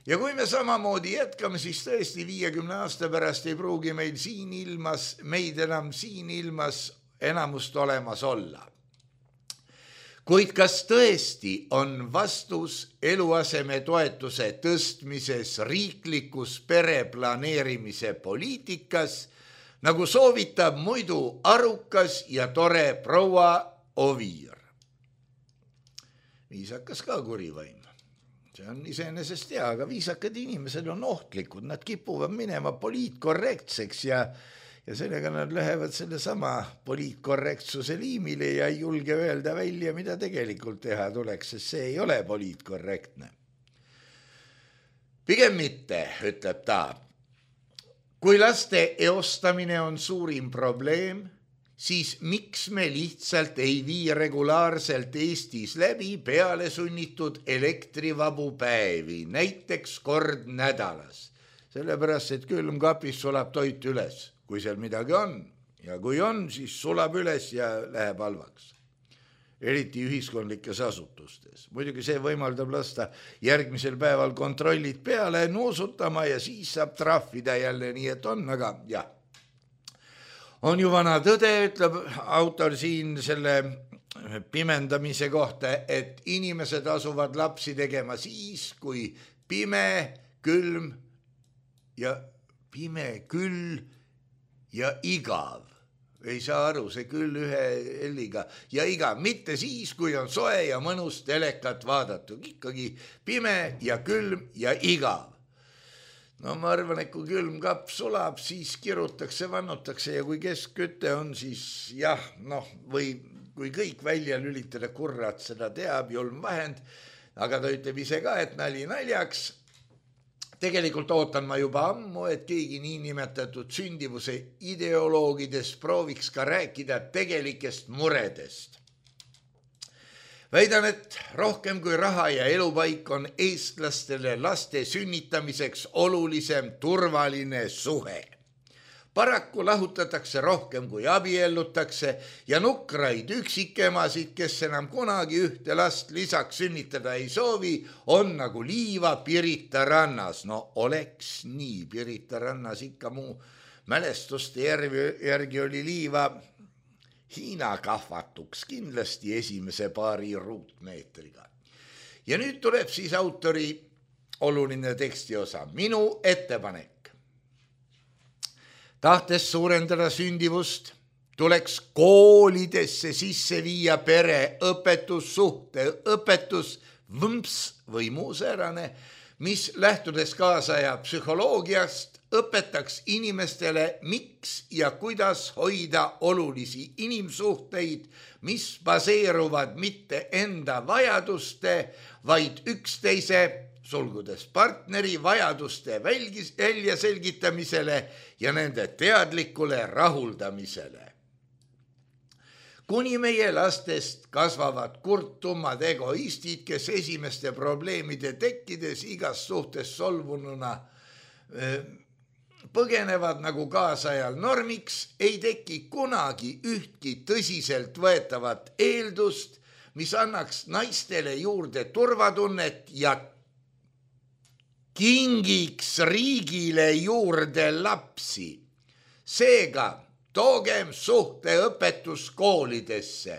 Ja kui me samamoodi jätkame, siis tõesti viiekümne aasta pärast ei pruugi meil siin ilmas, meid enam siin ilmas enamust olemas olla. Kuid kas tõesti on vastus eluaseme toetuse tõstmises riiklikus pereplaneerimise poliitikas, nagu soovitab muidu arukas ja tore proua Oviir? Viisakas ka kurivaim. See on iseenesest hea, aga viisakad inimesed on ohtlikud, nad kipuvad minema poliitkorrektseks ja, ja sellega nad lähevad selle sama poliitkorrektsuse liimile ja ei julge öelda välja, mida tegelikult teha tuleks, sest see ei ole poliitkorrektne. Pigem mitte, ütleb ta. kui laste eostamine on suurim probleem, siis miks me lihtsalt ei vii regulaarselt Eestis läbi peale sunnitud elektrivabu päevi, näiteks kord nädalas. Sellepärast, et külmkapis sulab toit üles, kui seal midagi on. Ja kui on, siis sulab üles ja läheb halvaks. Eriti ühiskondlikes asutustes. Muidugi see võimaldab lasta järgmisel päeval kontrollid peale nuusutama ja siis saab trahvida jälle, nii et on, aga jah. On ju vana tõde, ütleb autor siin selle pimendamise kohta, et inimesed asuvad lapsi tegema siis, kui pime, külm ja pime, küll ja igav. Ei saa aru, see küll ühe helliga ja igav. Mitte siis, kui on soe ja mõnus telekat vaadatud. Ikkagi pime ja külm ja igav. No ma arvan, et kui külmkapp sulab, siis kirutakse, vannutakse ja kui keskkütte on, siis jah, noh, või kui kõik välja lülitada, kurrat seda teab, julm vahend, aga ta ütleb ise ka, et nali naljaks. Tegelikult ootan ma juba ammu, et keegi nii nimetatud sündivuse ideoloogidest prooviks ka rääkida tegelikest muredest. Väidan, et rohkem kui raha ja elupaik on eestlastele laste sünnitamiseks olulisem turvaline suhe. Paraku lahutatakse rohkem kui abiellutakse ja nukraid üksikemasid, kes enam kunagi ühte last lisaks sünnitada ei soovi, on nagu liiva Pirita rannas. No oleks nii, Pirita rannas ikka muu mälestuste järgi oli liiva Hiina kahvatuks kindlasti esimese paari ruutmeetriga. Ja nüüd tuleb siis autori oluline tekstiosa. Minu ettepanek. Tahtes suurendada sündivust, tuleks koolidesse sisse viia pere õpetus, suhte õpetus, võmps või muu säärane, mis lähtudes kaasaja psühholoogiast õpetaks inimestele, miks ja kuidas hoida olulisi inimsuhteid, mis baseeruvad mitte enda vajaduste, vaid üksteise sulgudes partneri vajaduste välja selgitamisele ja nende teadlikule rahuldamisele. Kuni meie lastest kasvavad kurtumad egoistid, kes esimeste probleemide tekkides igas suhtes solvununa põgenevad nagu kaasajal normiks, ei teki kunagi ühtki tõsiselt võetavat eeldust, mis annaks naistele juurde turvatunnet ja kingiks riigile juurde lapsi. Seega toogem suhteõpetus koolidesse.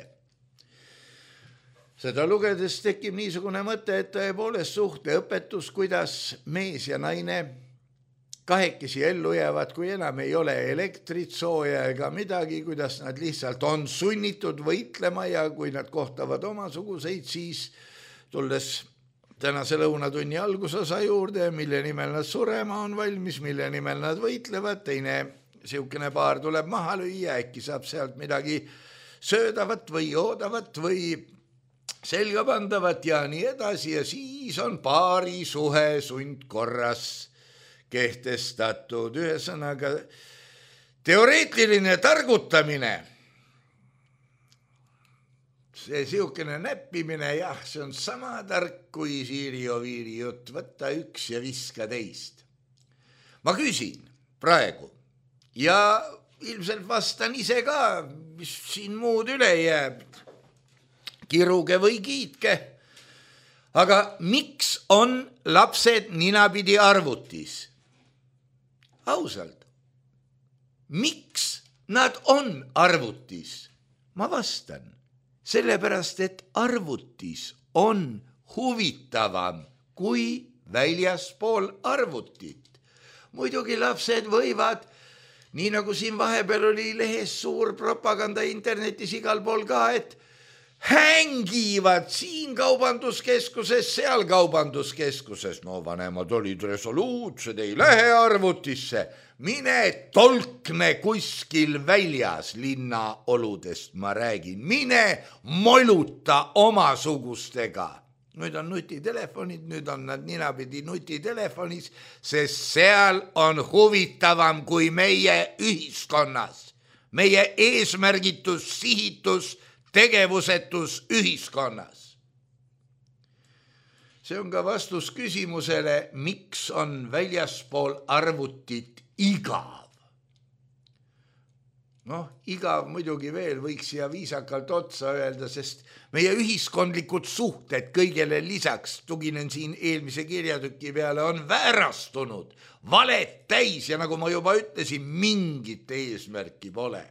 Seda lugedes tekib niisugune mõte, et tõepoolest suhteõpetus, kuidas mees ja naine kahekesi ellu jäävad, kui enam ei ole elektrit, sooja ega midagi, kuidas nad lihtsalt on sunnitud võitlema ja kui nad kohtavad omasuguseid, siis tulles tänase lõunatunni algusosa juurde, mille nimel nad surema on valmis, mille nimel nad võitlevad, teine siukene paar tuleb maha lüüa, äkki saab sealt midagi söödavat või joodavat või selga pandavat ja nii edasi ja siis on paari suhe sundkorras kehtestatud. Ühesõnaga teoreetiline targutamine, see siukene näppimine, jah, see on sama tark kui Siiri Oviiri jutt, võtta üks ja viska teist. Ma küsin praegu ja ilmselt vastan ise ka, mis siin muud üle jääb, kiruge või kiitke. Aga miks on lapsed ninapidi arvutis? Ausalt, miks nad on arvutis? Ma vastan. Sellepärast, et arvutis on huvitavam kui väljaspool arvutit. Muidugi lapsed võivad, nii nagu siin vahepeal oli lehes suur propaganda internetis igal pool ka, et hängivad siin kaubanduskeskuses, seal kaubanduskeskuses. No vanemad olid resoluutsed, ei lähe arvutisse. Mine tolkne kuskil väljas linna oludest, ma räägin. Mine moluta omasugustega nüüd on nutitelefonid, nüüd on nad ninapidi nutitelefonis, sest seal on huvitavam kui meie ühiskonnas. Meie eesmärgitus, sihitus, tegevusetus ühiskonnas. See on ka vastus küsimusele, miks on väljaspool arvutit igav. Noh, igav muidugi veel võiks siia viisakalt otsa öelda, sest meie ühiskondlikud suhted kõigele lisaks, tuginen siin eelmise kirjatüki peale, on väärastunud, valet täis ja nagu ma juba ütlesin, mingit eesmärki pole.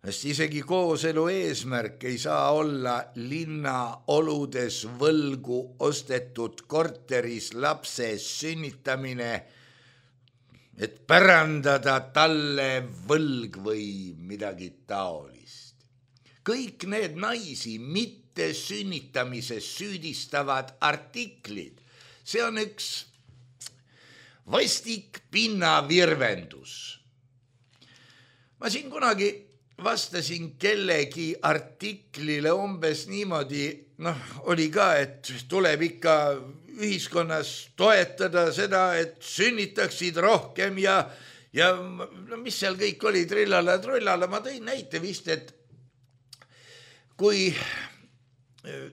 Sest isegi kooselu eesmärk ei saa olla linna oludes võlgu ostetud korteris lapse sünnitamine, et pärandada talle võlg või midagi taolist. Kõik need naisi mitte sünnitamises süüdistavad artiklid, see on üks vastik pinnavirvendus. Ma siin kunagi vastasin kellegi artiklile umbes niimoodi, noh, oli ka, et tuleb ikka ühiskonnas toetada seda, et sünnitaksid rohkem ja, ja no, mis seal kõik oli, trillala, trullala, ma tõin näite vist, et kui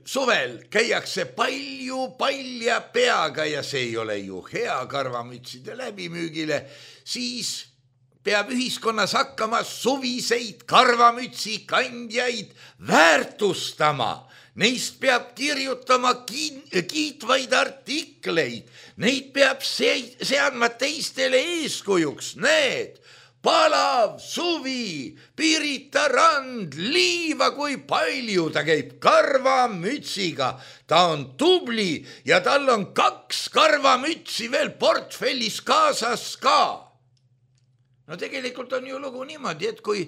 suvel käiakse palju palja peaga ja see ei ole ju hea karvamütside läbimüügile, siis peab ühiskonnas hakkama suviseid karvamütsi kandjaid väärtustama. Neist peab kirjutama kiitvaid artikleid, neid peab seadma teistele eeskujuks. Need, palav, suvi, Pirita rand, liiva kui palju, ta käib karvamütsiga, ta on tubli ja tal on kaks karvamütsi veel portfellis kaasas ka. No tegelikult on ju lugu niimoodi, et kui,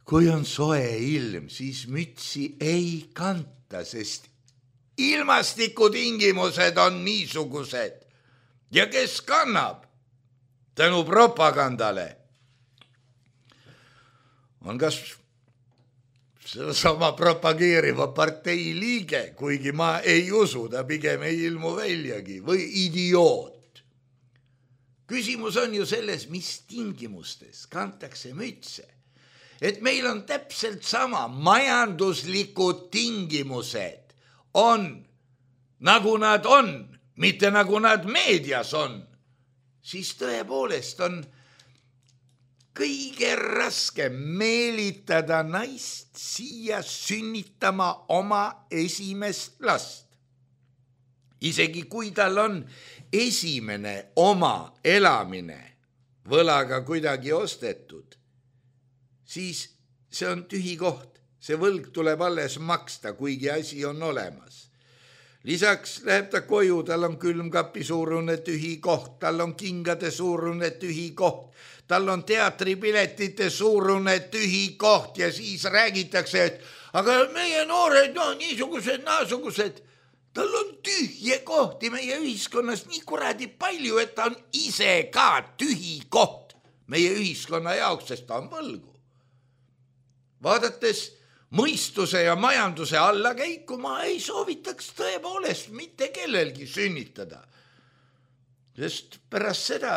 kui on soe ilm, siis mütsi ei kanta, sest ilmastikutingimused on niisugused ja kes kannab tänu propagandale on kas sama propageeriva partei liige, kuigi ma ei usu, ta pigem ei ilmu väljagi, või idioot. Küsimus on ju selles, mis tingimustes kantakse mütse. Et meil on täpselt sama majanduslikud tingimused on, nagu nad on, mitte nagu nad meedias on, siis tõepoolest on kõige raskem meelitada naist siia sünnitama oma esimest last. Isegi kui tal on esimene oma elamine võlaga kuidagi ostetud, siis see on tühi koht. See võlg tuleb alles maksta, kuigi asi on olemas. Lisaks läheb ta koju, tal on külmkapi suurune tühi koht, tal on kingade suurune tühi koht, tal on teatripiletite suurune tühi koht ja siis räägitakse, et aga meie noored on niisugused, naasugused. Tal on tühje kohti meie ühiskonnas nii kuradi palju, et ta on ise ka tühi koht meie ühiskonna jaoks, sest ta on võlgu. Vaadates mõistuse ja majanduse allakäiku ma ei soovitaks tõepoolest mitte kellelgi sünnitada. Sest pärast seda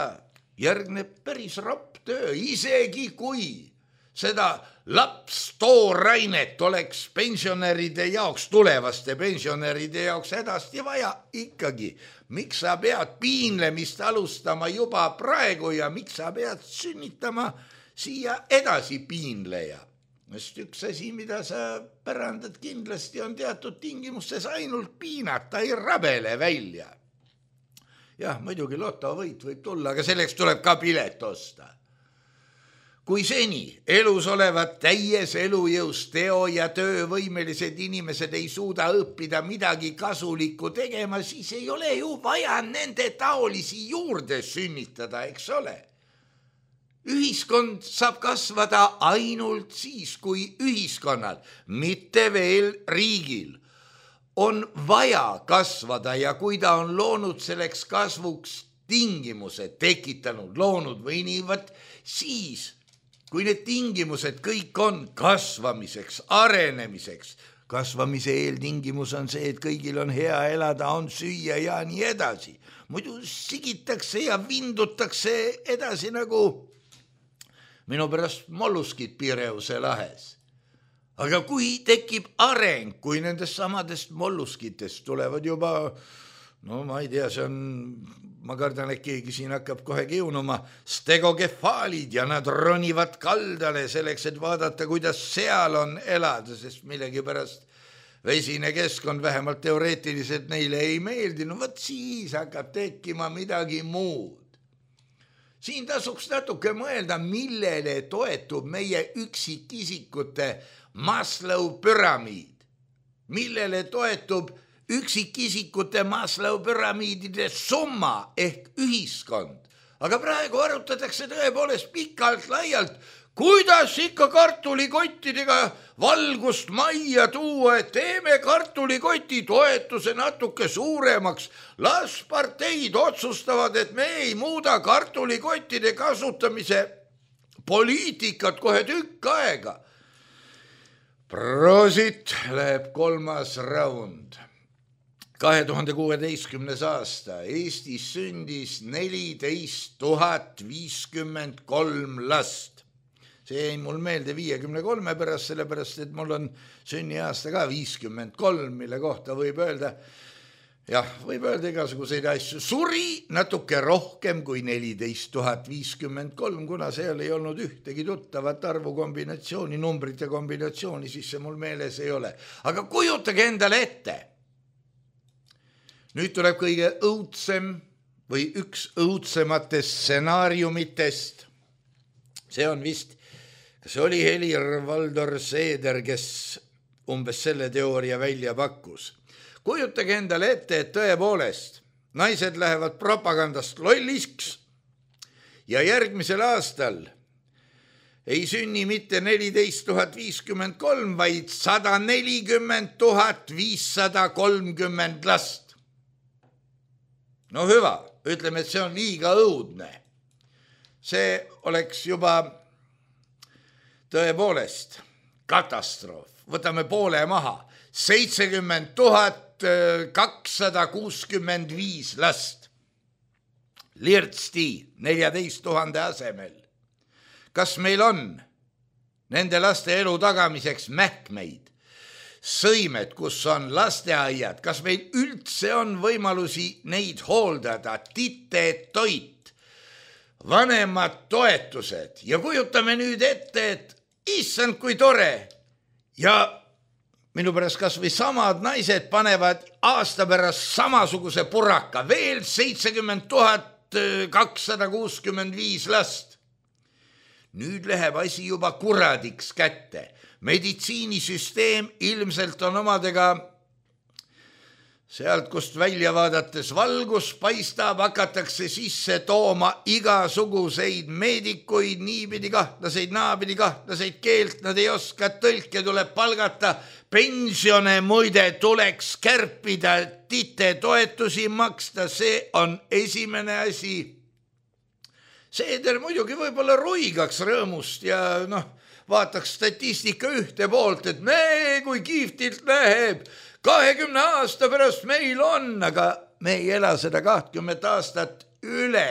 järgneb päris ropp töö, isegi kui seda lapstoorainet oleks pensionäride jaoks, tulevaste pensionäride jaoks hädasti vaja ikkagi. Miks sa pead piinlemist alustama juba praegu ja miks sa pead sünnitama siia edasi piinleja? Sest üks asi, mida sa pärandad kindlasti, on teatud tingimustes ainult piinata, ei rabele välja. Jah, muidugi lotovõit võib tulla, aga selleks tuleb ka pilet osta. Kui seni elus olevad täies elujõus teo- ja töövõimelised inimesed ei suuda õppida midagi kasulikku tegema, siis ei ole ju vaja nende taolisi juurde sünnitada, eks ole? Ühiskond saab kasvada ainult siis, kui ühiskonnal, mitte veel riigil, on vaja kasvada ja kui ta on loonud selleks kasvuks tingimused, tekitanud, loonud või nii, võt, siis, kui need tingimused kõik on kasvamiseks, arenemiseks, kasvamise eeltingimus on see, et kõigil on hea elada, on süüa ja nii edasi. Muidu sigitakse ja vindutakse edasi nagu minu pärast molluskid Pireuse lahes. Aga kui tekib areng, kui nendest samadest molluskitest tulevad juba, no ma ei tea, see on, ma kardan, et keegi siin hakkab kohe kiunuma, stegokefaalid ja nad ronivad kaldale selleks, et vaadata, kuidas seal on elada, sest millegi pärast vesine keskkond vähemalt teoreetiliselt neile ei meeldi, no võt siis hakkab tekkima midagi muud. Siin tasuks natuke mõelda, millele toetub meie üksikisikute Maslow püramiid, millele toetub üksikisikute Maslow püramiidide summa ehk ühiskond. Aga praegu arutatakse tõepoolest pikalt laialt, kuidas ikka kartulikottidega valgust majja tuua, et teeme kartulikoti toetuse natuke suuremaks. Las parteid otsustavad, et me ei muuda kartulikottide kasutamise poliitikat kohe tükk aega. Prosit läheb kolmas raund. kahe tuhande kuueteistkümnes aasta Eestis sündis neliteist tuhat viiskümmend kolm last. See jäi mul meelde viiekümne kolme pärast, sellepärast, et mul on sünniaasta ka viiskümmend kolm, mille kohta võib öelda, jah, võib öelda igasuguseid asju. Suri natuke rohkem kui neliteist tuhat viiskümmend kolm, kuna seal ei olnud ühtegi tuttavat arvu kombinatsiooni, numbrite kombinatsiooni, siis see mul meeles ei ole. Aga kujutage endale ette. Nüüd tuleb kõige õudsem või üks õudsematest stsenaariumitest. See on vist, kas oli Helir-Valdor Seeder, kes umbes selle teooria välja pakkus. Kujutage endale ette, et tõepoolest naised lähevad propagandast lolliks ja järgmisel aastal ei sünni mitte neliteist tuhat viiskümmend kolm, vaid sada nelikümmend tuhat viissada kolmkümmend last. No hüva, ütleme, et see on liiga õudne. See oleks juba tõepoolest katastroof. Võtame poole maha. seitsekümmend tuhat kakssada kuuskümmend viis last. Lirtsti neljateist tuhande asemel. Kas meil on nende laste elu tagamiseks mähkmeid, sõimed, kus on lasteaiad, kas meil üldse on võimalusi neid hooldada, tite toit, vanemad toetused ja kujutame nüüd ette, et issand kui tore ja minu pärast kas või samad naised panevad aasta pärast samasuguse puraka, veel seitsekümmend tuhat kakssada kuuskümmend viis last. Nüüd läheb asi juba kuradiks kätte. Meditsiinisüsteem ilmselt on omadega sealt, kust välja vaadates valgus paistab, hakatakse sisse tooma igasuguseid meedikuid, niipidi kahtlaseid, naapidi kahtlaseid, keelt nad ei oska, tõlke tuleb palgata, pensione muide tuleks kärpida, tite toetusi maksta, see on esimene asi. Seeder muidugi võib-olla ruigaks rõõmust ja noh, vaataks statistika ühte poolt, et me, kui kihvtilt läheb, kahekümne aasta pärast meil on, aga me ei ela seda kahtkümmend aastat üle.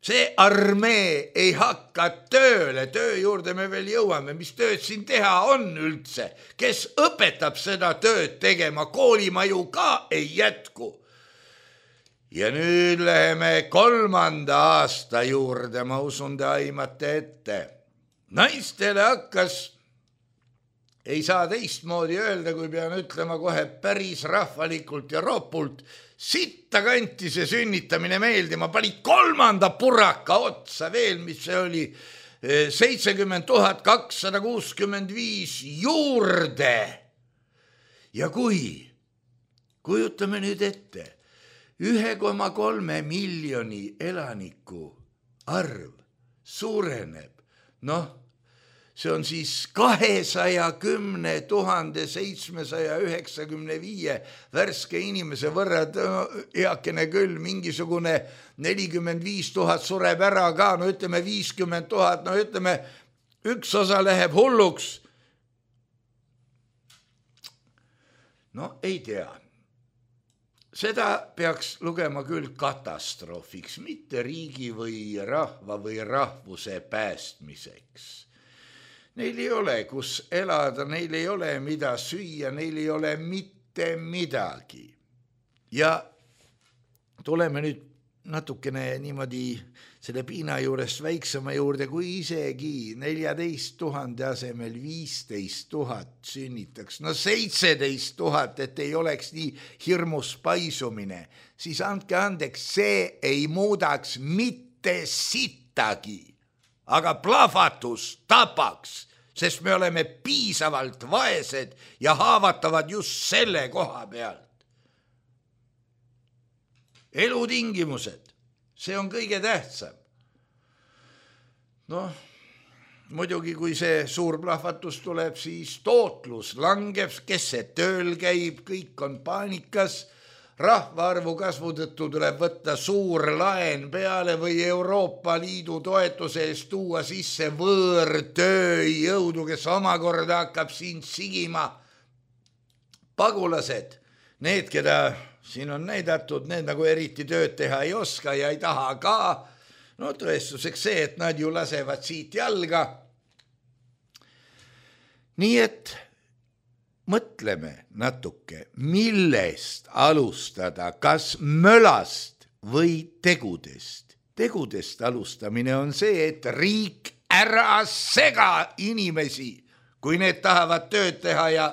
See armee ei hakka tööle, töö juurde me veel jõuame, mis tööd siin teha on üldse, kes õpetab seda tööd tegema, koolimaju ka ei jätku. Ja nüüd läheme kolmanda aasta juurde, ma usun te aimate ette. Naistele hakkas, ei saa teistmoodi öelda, kui pean ütlema kohe päris rahvalikult ja ropult, sitta kanti see sünnitamine meeldima, pani kolmanda puraka otsa veel, mis see oli, seitsekümmend tuhat kakssada kuuskümmend viis juurde. Ja kui, kujutame nüüd ette, ühe koma kolme miljoni elaniku arv suureneb, noh, see on siis kahesaja kümne tuhande seitsmesaja üheksakümne viie värske inimese võrra, eakene küll, mingisugune nelikümmend viis tuhat sureb ära ka, no ütleme viiskümmend tuhat, no ütleme üks osa läheb hulluks. no ei tea. Seda peaks lugema küll katastroofiks, mitte riigi või rahva või rahvuse päästmiseks. Neil ei ole, kus elada, neil ei ole mida süüa, neil ei ole mitte midagi. Ja tuleme nüüd natukene niimoodi selle piina juurest väiksema juurde, kui isegi neljateist tuhande asemel viisteist tuhat sünnitaks. No seitseteist tuhat, et ei oleks nii hirmus paisumine. Siis andke andeks, see ei muudaks mitte sittagi. Aga plahvatus tapaks, sest me oleme piisavalt vaesed ja haavatavad just selle koha pealt. Elutingimused, see on kõige tähtsam. Noh, muidugi kui see suur plahvatus tuleb, siis tootlus langeb, kes see tööl käib, kõik on paanikas. Rahvaarvu kasvu tõttu tuleb võtta suur laen peale või Euroopa Liidu toetuse eest tuua sisse võõrtööjõudu, kes omakorda hakkab siin sigima. Pagulased, need, keda siin on näidatud, need nagu eriti tööd teha ei oska ja ei taha ka. No tõestuseks see, et nad ju lasevad siit jalga. Nii et mõtleme natuke, millest alustada, kas mölast või tegudest. Tegudest alustamine on see, et riik ära sega inimesi, kui need tahavad tööd teha ja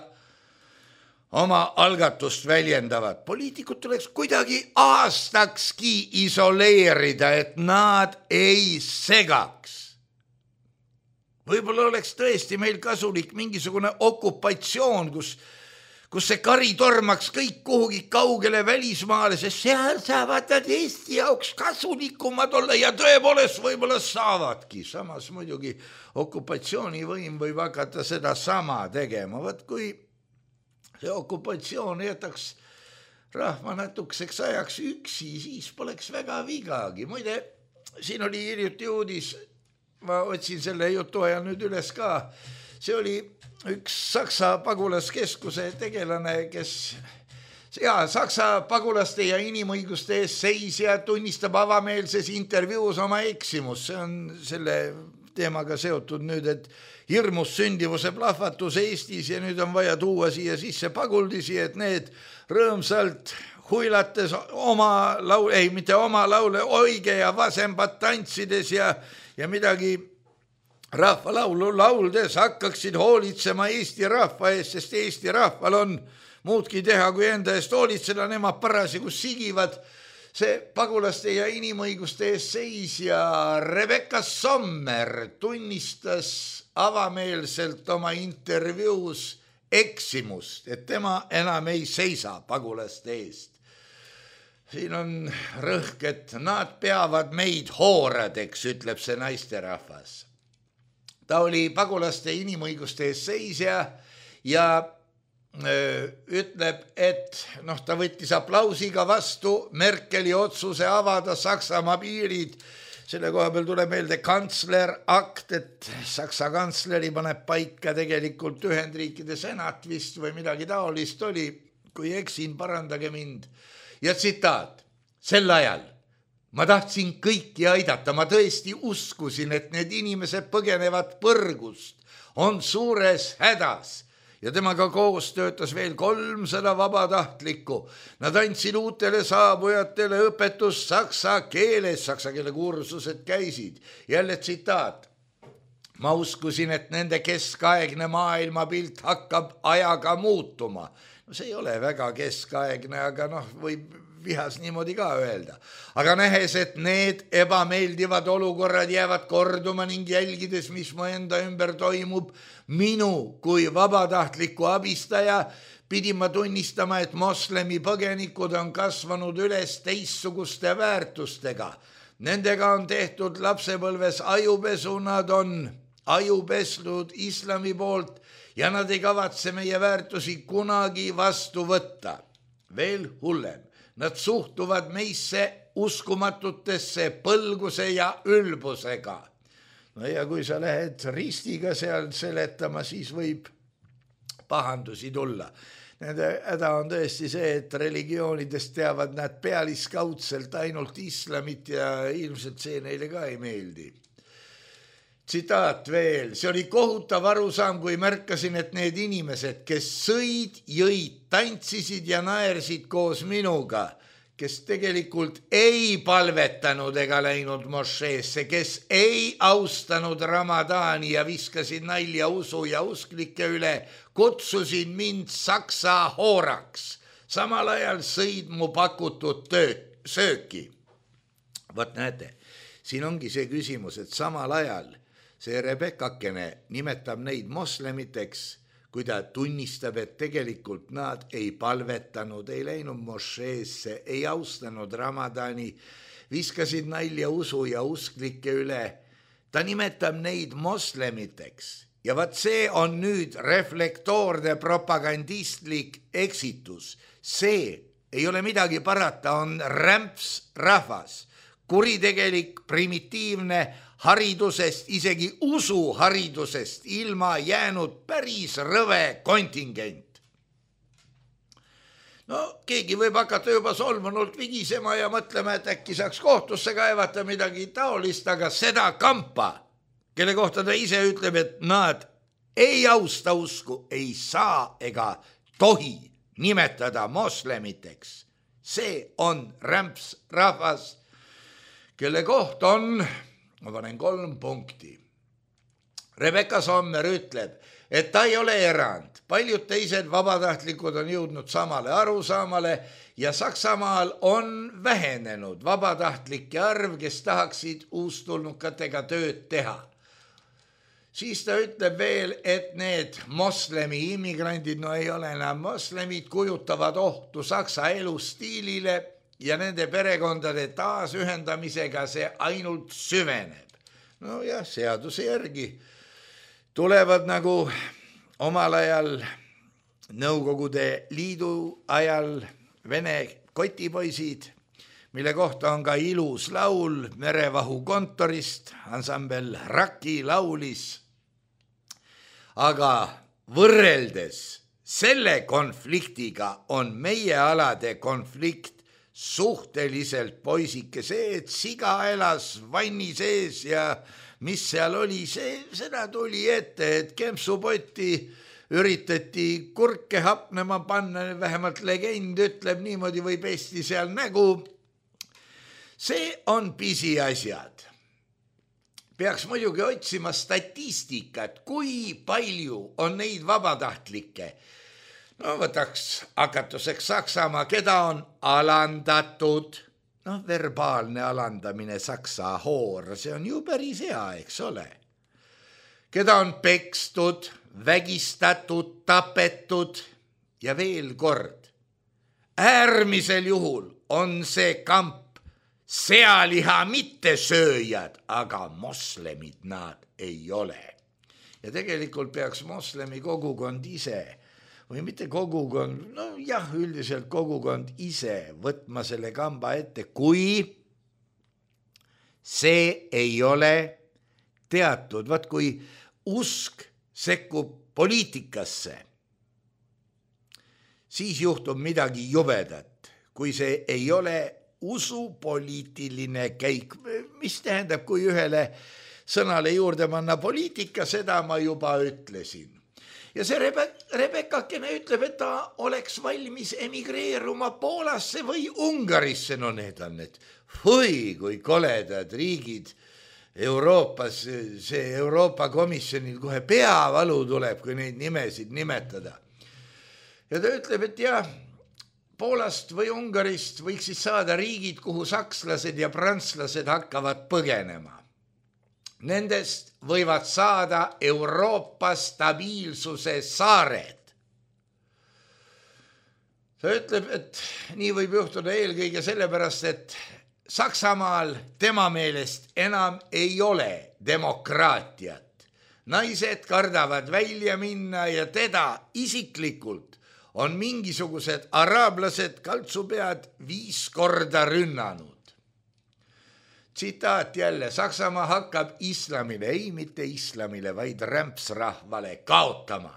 oma algatust väljendavad. Poliitikud tuleks kuidagi aastakski isoleerida, et nad ei segaks. Võib-olla oleks tõesti meil kasulik mingisugune okupatsioon, kus, kus see kari tormaks kõik kuhugi kaugele välismaale, sest seal saavad nad Eesti jaoks kasulikumad olla ja tõepoolest võib-olla saavadki. Samas muidugi okupatsioonivõim võib hakata seda sama tegema. Võt kui see okupatsioon jätaks rahva natukeseks ajaks üksi, siis poleks väga vigagi. Muide, siin oli hiljuti uudis, ma otsin selle jutu ajal nüüd üles ka. See oli üks Saksa pagulaskeskuse tegelane, kes ja, Saksa pagulaste ja inimõiguste ees seisja tunnistab avameelses intervjuus oma eksimus. See on selle teemaga seotud nüüd, et hirmus sündivuse plahvatus Eestis ja nüüd on vaja tuua siia sisse paguldisi, et need rõõmsalt huilates oma laul, ei, mitte oma laule, oige ja vasembat tantsides ja ja midagi rahvalaulu lauldes hakkaksid hoolitsema Eesti rahva eest, sest Eesti rahval on muudki teha, kui enda eest hoolitseda, nemad parasjagu sigivad. See pagulaste ja inimõiguste ees seisja Rebecca Sommer tunnistas avameelselt oma intervjuus eksimust, et tema enam ei seisa pagulaste eest. Siin on rõhk, et nad peavad meid hooradeks, ütleb see naisterahvas. Ta oli pagulaste inimõiguste ees seisja ja öö, ütleb, et noh, ta võttis aplausiga vastu Merkeli otsuse avada Saksamaa piirid. Selle koha peal tuleb meelde kantsler akt, et Saksa kantsleri paneb paika tegelikult Ühendriikide senat vist või midagi taolist oli, kui eksin, parandage mind. Ja tsitaat, sel ajal ma tahtsin kõiki aidata, ma tõesti uskusin, et need inimesed põgenevad põrgust, on suures hädas ja temaga koos töötas veel kolmsada vabatahtlikku. Nad andsid uutele saabujatele õpetust saksa keeles, saksa keele kursused käisid. Jälle tsitaat, ma uskusin, et nende keskaegne maailmapilt hakkab ajaga muutuma. No see ei ole väga keskaegne, aga noh, võib vihas niimoodi ka öelda. Aga nähes, et need ebameeldivad olukorrad jäävad korduma ning jälgides, mis mu enda ümber toimub, minu kui vabatahtliku abistaja pidin ma tunnistama, et moslemi põgenikud on kasvanud üles teistsuguste väärtustega. Nendega on tehtud lapsepõlves ajupesu, nad on ajupesnud islami poolt ja nad ei kavatse meie väärtusi kunagi vastu võtta. Veel hullem, nad suhtuvad meisse uskumatutesse põlguse ja ülbusega. No ja kui sa lähed ristiga seal seletama, siis võib pahandusi tulla. Nende häda on tõesti see, et religioonidest teavad nad pealiskaudselt ainult islamit ja ilmselt see neile ka ei meeldi. Tsitaat veel, see oli kohutav arusaam, kui märkasin, et need inimesed, kes sõid, jõid, tantsisid ja naersid koos minuga, kes tegelikult ei palvetanud ega läinud mošeesse, kes ei austanud Ramadani ja viskasid nalja usu ja usklike üle, kutsusid mind saksa hooraks. Samal ajal sõid mu pakutud tööd, sööki. Võt näete, siin ongi see küsimus, et samal ajal see Rebekakene nimetab neid moslemiteks, kui ta tunnistab, et tegelikult nad ei palvetanud, ei läinud mošeesse, ei austanud Ramadani, viskasid nalja usu ja usklike üle. Ta nimetab neid moslemiteks ja vaat see on nüüd reflektoorne propagandistlik eksitus. See ei ole midagi parata, on rämps rahvas, kuritegelik, primitiivne, haridusest, isegi usuharidusest ilma jäänud päris rõve kontingent. No keegi võib hakata juba solvunult vigisema ja mõtlema, et äkki saaks kohtusse kaevata midagi taolist, aga seda kampa, kelle kohta ta ise ütleb, et nad ei austa usku, ei saa ega tohi nimetada moslemiteks. See on rämps rahvas, kelle koht on... Ma panen kolm punkti. Rebecca Sommer ütleb, et ta ei ole erand. Paljud teised vabatahtlikud on jõudnud samale arusaamale ja Saksamaal on vähenenud vabatahtlike arv, kes tahaksid uustulnukatega tööd teha. Siis ta ütleb veel, et need moslemi immigrandid, no ei ole enam moslemid, kujutavad ohtu Saksa elustiilile ja nende perekondade taasühendamisega see ainult süveneb. No jah, seaduse järgi tulevad nagu omal ajal Nõukogude Liidu ajal Vene kotipoisid, mille kohta on ka ilus laul Merevahu kontorist, ansambel Raki laulis. Aga võrreldes selle konfliktiga on meie alade konflikt suhteliselt poisike. See, et siga elas vanni sees ja mis seal oli, see, seda tuli ette, et kempsupotti üritati kurke hapnema panna, vähemalt legend ütleb, niimoodi võib Eesti seal nägu. See on pisiasjad. Peaks muidugi otsima statistikat, kui palju on neid vabatahtlikke. No võtaks hakatuseks Saksamaa, keda on alandatud, no verbaalne alandamine, saksa hoor, see on ju päris hea, eks ole. Keda on pekstud, vägistatud, tapetud ja veel kord. Äärmisel juhul on see kamp sealiha mittesööjad, aga moslemid nad ei ole. Ja tegelikult peaks moslemi kogukond ise või mitte kogukond, no jah, üldiselt kogukond ise võtma selle kamba ette, kui see ei ole teatud, vaat kui usk sekkub poliitikasse, siis juhtub midagi jubedat, kui see ei ole usupoliitiline käik, mis tähendab, kui ühele sõnale juurde panna poliitika, seda ma juba ütlesin. Ja see Rebe- Rebekakene ütleb, et ta oleks valmis emigreeruma Poolasse või Ungarisse. No need on need, või kui koledad riigid Euroopas, see Euroopa Komisjonil kohe peavalu tuleb, kui neid nimesid nimetada. Ja ta ütleb, et jah, Poolast või Ungarist võiks siis saada riigid, kuhu sakslased ja prantslased hakkavad põgenema. Nendest võivad saada Euroopa stabiilsuse saared. Ta ütleb, et nii võib juhtuda eelkõige sellepärast, et Saksamaal tema meelest enam ei ole demokraatiat. Naised kardavad välja minna ja teda isiklikult on mingisugused araablased kaltsupead viis korda rünnanud. Tsitaat jälle, Saksamaa hakkab islamile, ei mitte islamile, vaid rämpsrahvale kaotama.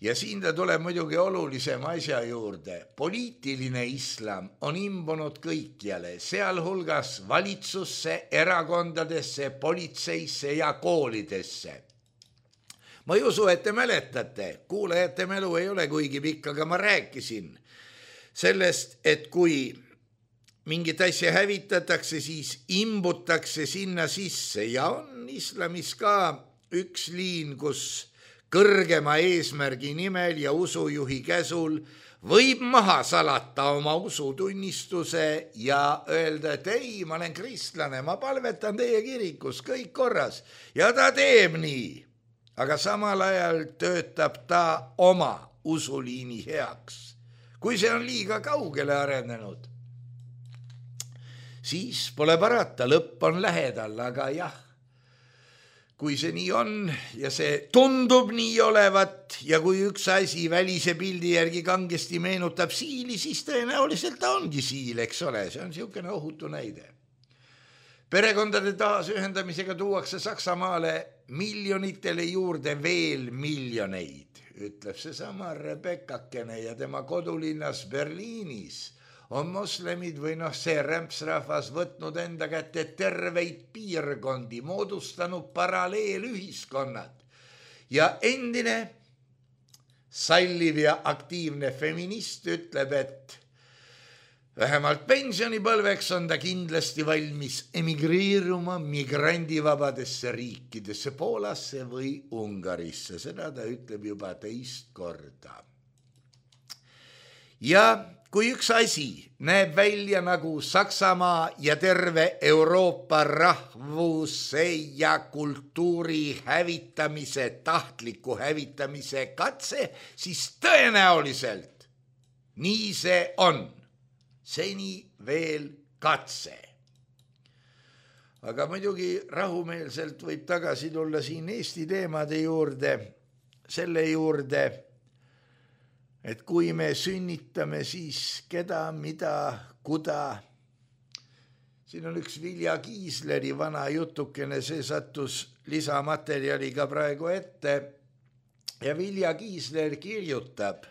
Ja siin ta tuleb muidugi olulisem asja juurde. Poliitiline islam on imbunud kõikjale, sealhulgas valitsusse, erakondadesse, politseisse ja koolidesse. Ma ei usu, et te mäletate, kuulajate mälu ei ole kuigi pikk, aga ma rääkisin sellest, et kui mingit asja hävitatakse, siis imbutakse sinna sisse ja on islamis ka üks liin, kus kõrgema eesmärgi nimel ja usujuhi käsul võib maha salata oma usutunnistuse ja öelda, et ei, ma olen kristlane, ma palvetan teie kirikus, kõik korras. Ja ta teeb nii, aga samal ajal töötab ta oma usuliini heaks. Kui see on liiga kaugele arenenud, siis pole parata, lõpp on lähedal, aga jah, kui see nii on ja see tundub nii olevat ja kui üks asi välise pildi järgi kangesti meenutab siili, siis tõenäoliselt ta ongi siil, eks ole, see on niisugune ohutu näide. Perekondade taasühendamisega tuuakse Saksamaale miljonitele juurde veel miljoneid, ütleb seesama Rebekakene ja tema kodulinnas Berliinis on moslemid või noh, see rämpsrahvas võtnud enda kätte terveid piirkondi, moodustanud paralleelühiskonnad ja endine salliv ja aktiivne feminist ütleb, et vähemalt pensionipõlveks on ta kindlasti valmis emigreeruma migrandivabadesse riikidesse, Poolasse või Ungarisse, seda ta ütleb juba teist korda. Ja kui üks asi näeb välja nagu Saksamaa ja terve Euroopa rahvuse ja kultuuri hävitamise, tahtliku hävitamise katse, siis tõenäoliselt nii see on. Seni veel katse. Aga muidugi rahumeelselt võib tagasi tulla siin Eesti teemade juurde, selle juurde, et kui me sünnitame, siis keda, mida, kuda. Siin on üks Vilja Kiisleri vana jutukene, see sattus lisamaterjaliga praegu ette ja Vilja Kiisler kirjutab.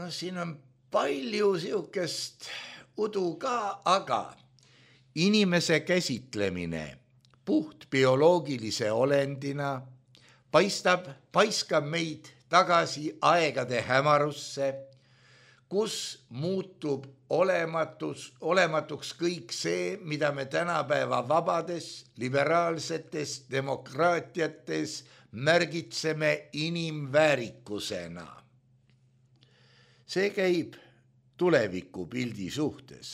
No siin on palju siukest udu ka, aga inimese käsitlemine puht bioloogilise olendina paistab, paiskab meid tagasi aegade hämarusse, kus muutub olematus, olematuks kõik see, mida me tänapäeva vabades, liberaalsetes demokraatiates märgitseme inimväärikusena. See käib tuleviku pildi suhtes,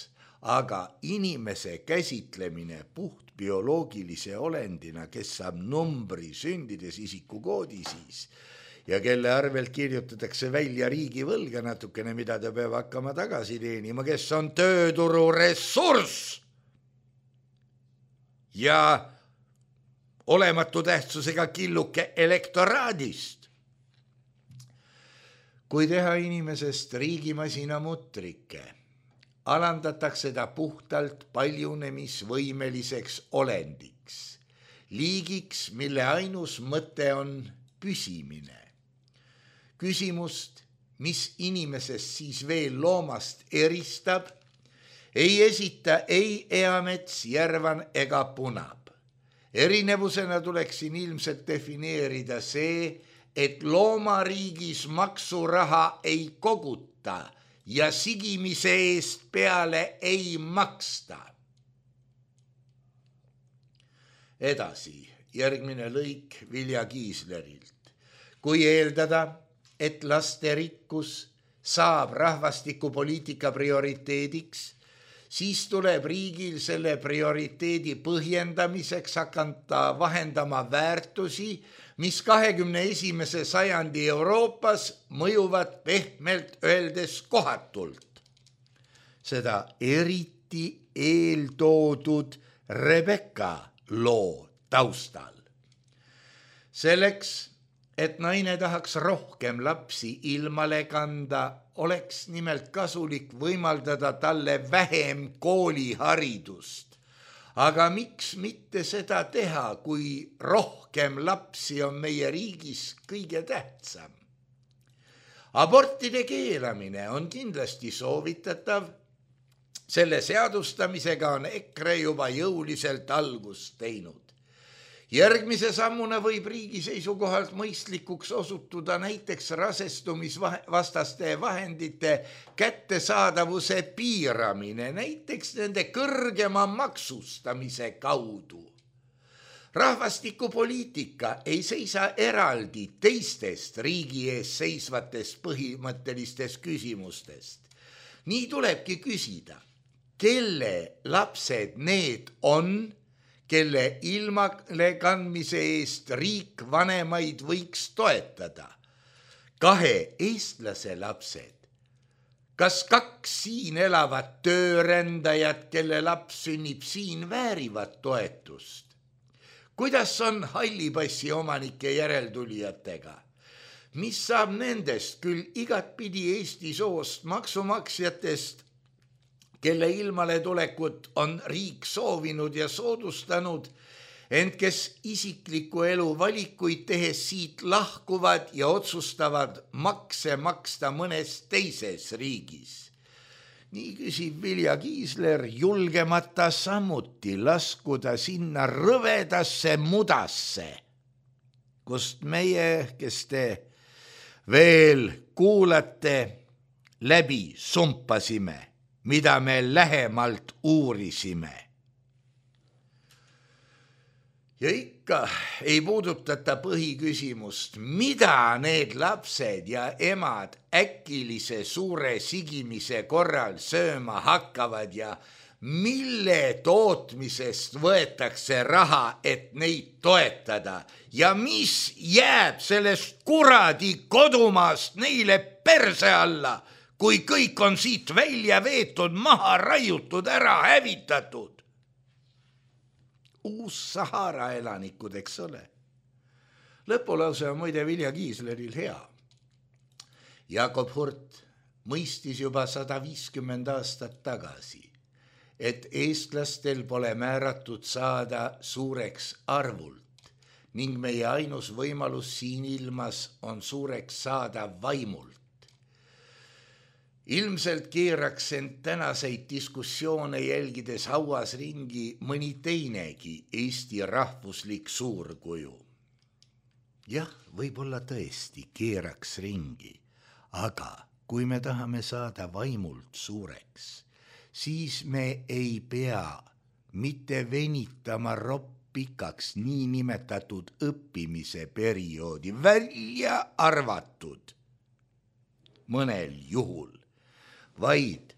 aga inimese käsitlemine puht bioloogilise olendina, kes saab numbri sündides isikukoodi siis, ja kelle arvelt kirjutatakse välja riigivõlga natukene, mida ta peab hakkama tagasi teenima, kes on tööturu ressurss ja olematu tähtsusega killuke elektoraadist. Kui teha inimesest riigimasina mutrike, alandatakse ta puhtalt paljunemisvõimeliseks olendiks, liigiks, mille ainus mõte on püsimine. Küsimust, mis inimesest siis veel loomast eristab, ei esita ei Eamets, Järvan ega Punab. Erinevusena tuleks siin ilmselt defineerida see, et loomariigis maksuraha ei koguta ja sigimise eest peale ei maksta. Edasi, järgmine lõik Vilja Kiislerilt. Kui eeldada, et lasterikkus saab rahvastikupoliitika prioriteediks, siis tuleb riigil selle prioriteedi põhjendamiseks hakata vahendama väärtusi, mis kahekümne esimese sajandi Euroopas mõjuvad pehmelt öeldes kohatult. Seda eriti eeltoodud Rebekka loo taustal. Selleks, et naine tahaks rohkem lapsi ilmale kanda, oleks nimelt kasulik võimaldada talle vähem kooliharidust. Aga miks mitte seda teha, kui rohkem lapsi on meie riigis kõige tähtsam? Abortide keelamine on kindlasti soovitatav. Selle seadustamisega on EKRE juba jõuliselt algust teinud. Järgmise sammuna võib riigi seisukohalt mõistlikuks osutuda näiteks rasestumisvastaste vahendite kättesaadavuse piiramine, näiteks nende kõrgema maksustamise kaudu. Rahvastikupoliitika ei seisa eraldi teistest riigi ees seisvatest põhimõttelistest küsimustest. Nii tulebki küsida, kelle lapsed need on, kelle ilmale kandmise eest riik vanemaid võiks toetada. Kahe eestlase lapsed. Kas kaks siin elavat töörändajat, kelle laps sünnib siin, väärivad toetust? Kuidas on hallipassi omanike järeltulijatega? Mis saab nendest küll igatpidi Eesti soost maksumaksjatest, kelle ilmale tulekut on riik soovinud ja soodustanud, ent kes isikliku elu valikuid tehes siit lahkuvad ja otsustavad makse maksta mõnes teises riigis? Nii küsib Vilja Kiisler, julgemata samuti laskuda sinna rõvedasse mudasse, kust meie, kes te veel kuulate, läbi sumpasime, mida me lähemalt uurisime. Ja ikka ei puudutata põhiküsimust, mida need lapsed ja emad äkilise suure sigimise korral sööma hakkavad ja mille tootmisest võetakse raha, et neid toetada ja mis jääb sellest kuradi kodumaast neile perse alla, kui kõik on siit välja veetud, maha raiutud, ära hävitatud. Uus Sahara elanikud, eks ole. Lõpulause on muide Vilja Kiisleril hea. Jakob Hurt mõistis juba sada viiskümmend aastat tagasi, et eestlastel pole määratud saada suureks arvult ning meie ainus võimalus siin ilmas on suureks saada vaimult. Ilmselt keeraks end tänaseid diskussioone jälgides hauas ringi mõni teinegi Eesti rahvuslik suurkuju. Jah, võib-olla tõesti keeraks ringi, aga kui me tahame saada vaimult suureks, siis me ei pea mitte venitama roppikaks niinimetatud õppimise perioodi, välja arvatud mõnel juhul, vaid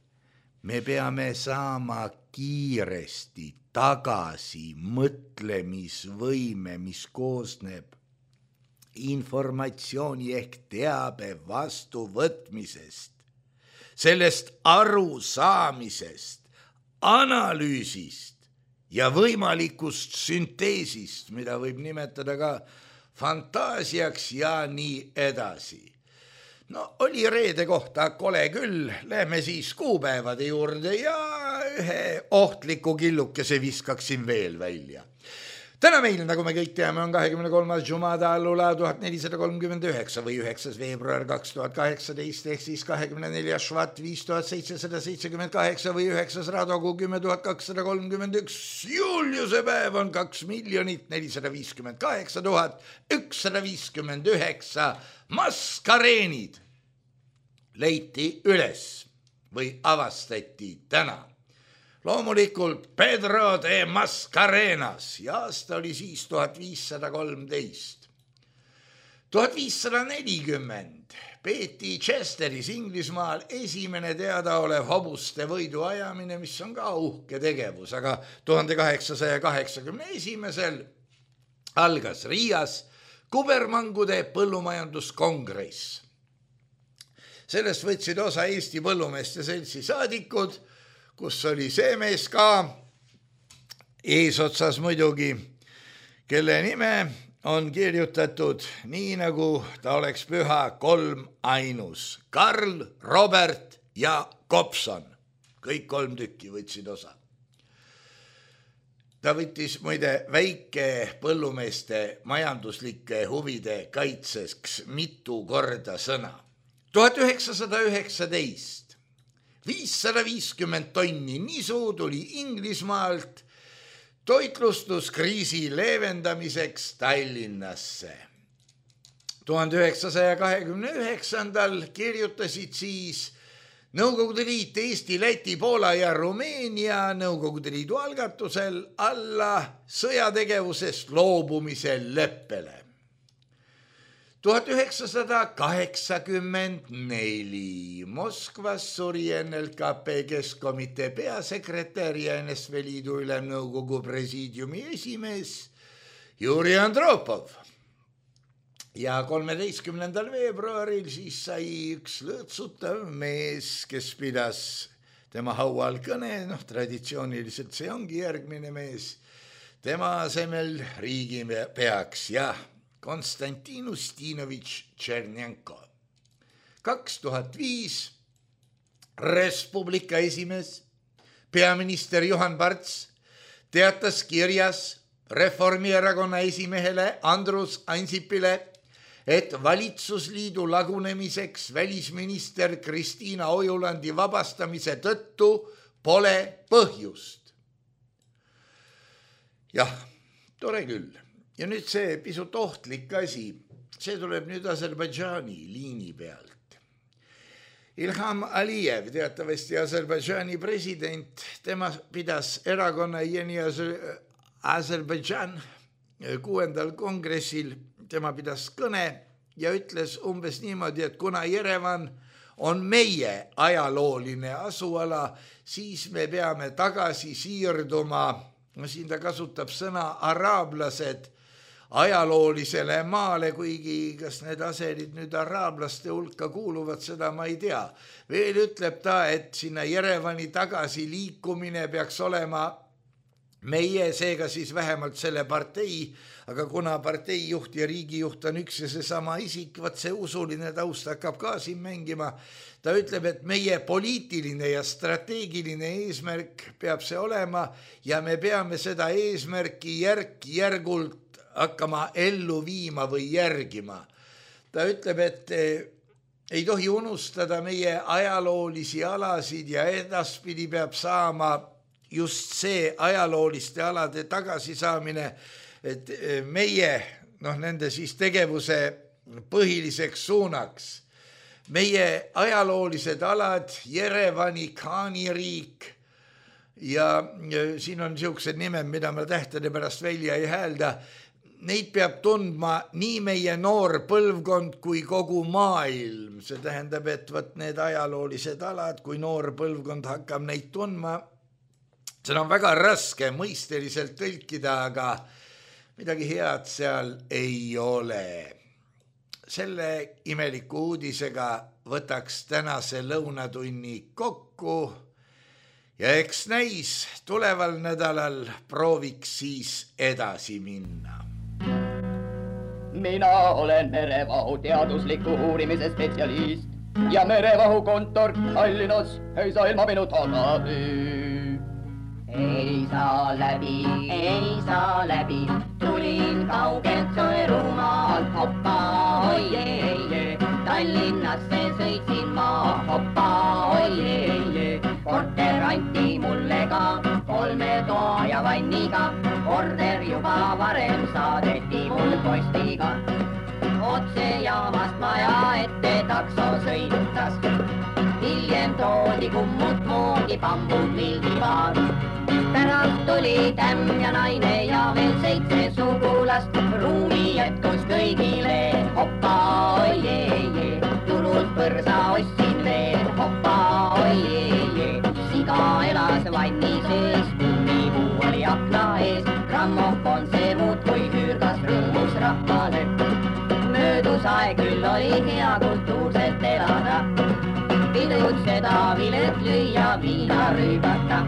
me peame saama kiiresti tagasi mõtlemisvõime, mis koosneb informatsiooni ehk teabe vastuvõtmisest, sellest arusaamisest, analüüsist ja võimalikust sünteesist, mida võib nimetada ka fantaasiaks ja nii edasi. No oli reede kohta kole küll, lähme siis kuupäevade juurde ja ühe ohtliku killukese viskaksin veel välja. Täna meil, nagu me kõik teame, on kahekümne kolmas Jumada allula tuhat nelisada kolmkümmend üheksa või üheksas veebruar kaks tuhat kaheksateist ehk siis kahekümne neljas Švat viis tuhat seitsesada seitsekümmend kaheksa või üheksas Radogu kümme tuhat kakssada kolmkümmend üks. Juliuse päev on kaks miljonit nelisada viiskümmend kaheksa tuhat ükssada viiskümmend üheksa. Maskareenid leiti üles või avastati täna. Loomulikult Pedro de Mascarenas ja aasta oli siis tuhat viissada kolmteist. tuhat viissada nelikümmend peeti Chesteris Inglismaal esimene teadaolev hobuste võidu ajamine, mis on ka uhke tegevus, aga tuhande kaheksasaja kaheksakümne esimesel algas Riias kubermangude põllumajanduskongress. Sellest võtsid osa Eesti Põllumeeste Seltsi saadikud, kus oli see mees ka eesotsas muidugi, kelle nime on kirjutatud nii, nagu ta oleks püha kolm ainus. Karl, Robert ja Kopson. Kõik kolm tükki võtsid osa. Ta võttis muide väike põllumeeste majanduslike huvide kaitseks mitu korda sõna. tuhat üheksasada üheksateist viissada viiskümmend tonni nisu tuli Inglismaalt toitlustuskriisi leevendamiseks Tallinnasse. tuhande üheksasaja kahekümne üheksandal kirjutasid siis Nõukogude Liit, Eesti, Läti, Poola ja Rumeenia Nõukogude Liidu algatusel alla sõjategevusest loobumise leppele. tuhat üheksasada kaheksakümmend neli Moskvas suri N L K P Keskkomitee peasekretär ja N S V Liidu Ülemnõukogu presiidiumi esimees Juri Andropov. Ja kolmeteistkümnendal veebruaril siis sai üks lõõtsutav mees, kes pidas tema haual kõne, noh traditsiooniliselt see ongi järgmine mees, tema asemel riigipeaks ja Konstantin Ustinovitš Tšernjenko. kaks tuhat viis Res Publica esimees, peaminister Juhan Parts teatas kirjas Reformierakonna esimehele Andrus Ansipile, et valitsusliidu lagunemiseks välisminister Kristiina Ojulandi vabastamise tõttu pole põhjust. Jah, tore küll. Ja nüüd see pisut ohtlik asi, see tuleb nüüd Aserbaidžaani liini pealt. Ilham Aliyev, teatavasti Aserbaidžaani president, tema pidas erakonna Yeni Aserbaidžan kuuendal kongressil, tema pidas kõne ja ütles umbes niimoodi, et kuna Jerevan on meie ajalooline asuala, siis me peame tagasi siirduma, no siin ta kasutab sõna araablased, ajaloolisele maale, kuigi kas need aserid nüüd araablaste hulka kuuluvad, seda ma ei tea. Veel ütleb ta, et sinna Jerevani tagasi liikumine peaks olema meie, seega siis vähemalt selle partei, aga kuna parteijuht ja riigijuht on üks ja seesama isik, vaat see usuline taust hakkab ka siin mängima. Ta ütleb, et meie poliitiline ja strateegiline eesmärk peab see olema ja me peame seda eesmärki järk-järgult hakkama ellu viima või järgima. Ta ütleb, et ei tohi unustada meie ajaloolisi alasid ja edaspidi peab saama just see ajalooliste alade tagasisaamine, et meie, noh, nende siis tegevuse põhiliseks suunaks. Meie ajaloolised alad, Jerevani khaaniriik ja siin on niisugused nimed, mida ma tähtede pärast välja ei häälda, neid peab tundma nii meie noor põlvkond kui kogu maailm. See tähendab, et võt need ajaloolised alad, kui noor põlvkond hakkab neid tundma, seda on väga raske mõisteliselt tõlkida, aga midagi head seal ei ole. Selle imeliku uudisega võtaks tänase lõunatunni kokku ja eks näis tuleval nädalal prooviks siis edasi minna. Mina olen merevahu teadusliku uurimise spetsialist ja merevahu kontor Tallinnas ei saa ilma minu tagasi. Ei saa läbi, ei saa läbi, tulin kaugelt Sõerumaalt, hoppa, oiee, Tallinnasse sõitsin ma, hoppa, oiee, korter anti mulle ka, kolme toa ja vanniga, korter juba varem saadeti mul postiga. Otse jaamast maja ette takso sõitas, hiljem toodi kummut moodi pambud vildipaar. Pärast tuli tämm ja naine ja veel seitse sugulast, ruumi jätkus kõigile, hoppa, oiee, turult põrsa ostsin veel, hoppa, oiee, siga elas vanni sees, kummipuu oli akna ees, grammofon see muudkui hüürgas rõõmus rahvale. Möödus aeg küll oli hea kultuurselt elada, pidutseda, vilet lüüa, viina rüübata.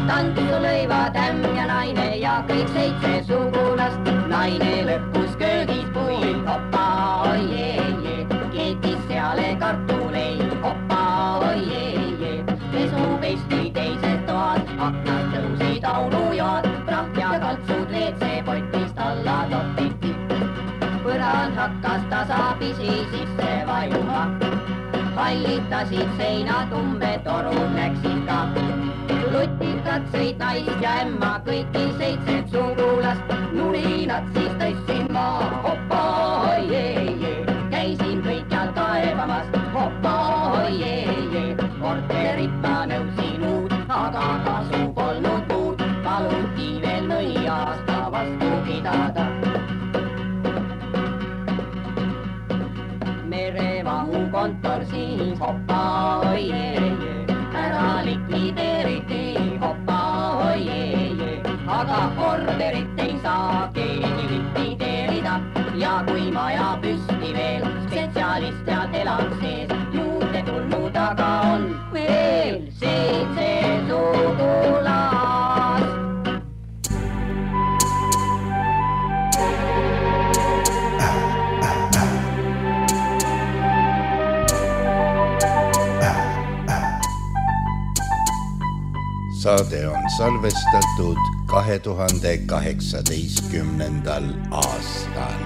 Tantsu lõiva tämm ja naine ja kõik seitse sugulast, naine lõppus köögis puil, hoppa, oiee, keetis seale kartuleid, hoppa, oiee, pesu pesti teises toad, aknad tõusid aulujoad, prahv ja kaltsud veetse potist alla topiti. Põrand hakkas tasapisi sisse vajuma. Hallitasid seinad umbetorud läksid ka. Lutikad sõid naist ja emma kõiki seitset sugulast. Nulinad siis tõstsin ma, hoppa hoiee, käisin kõikjal kaevamas, hoppa hoiee. Korterit ma nõusin uut, aga kasu polnud muud, paluti veel mõni aasta vastu pidada. Merevahu kontor siis hoppa hoiee, ära likvideeriti hoppa hoiee, aga korterit ei saa keegi likvideerida ja kui maja püsti veel spetsialist ja elab sees, juurde tulnud aga on veel seitse sugulast. Saade on salvestatud kahe tuhande kaheksateistkümnendal aastal.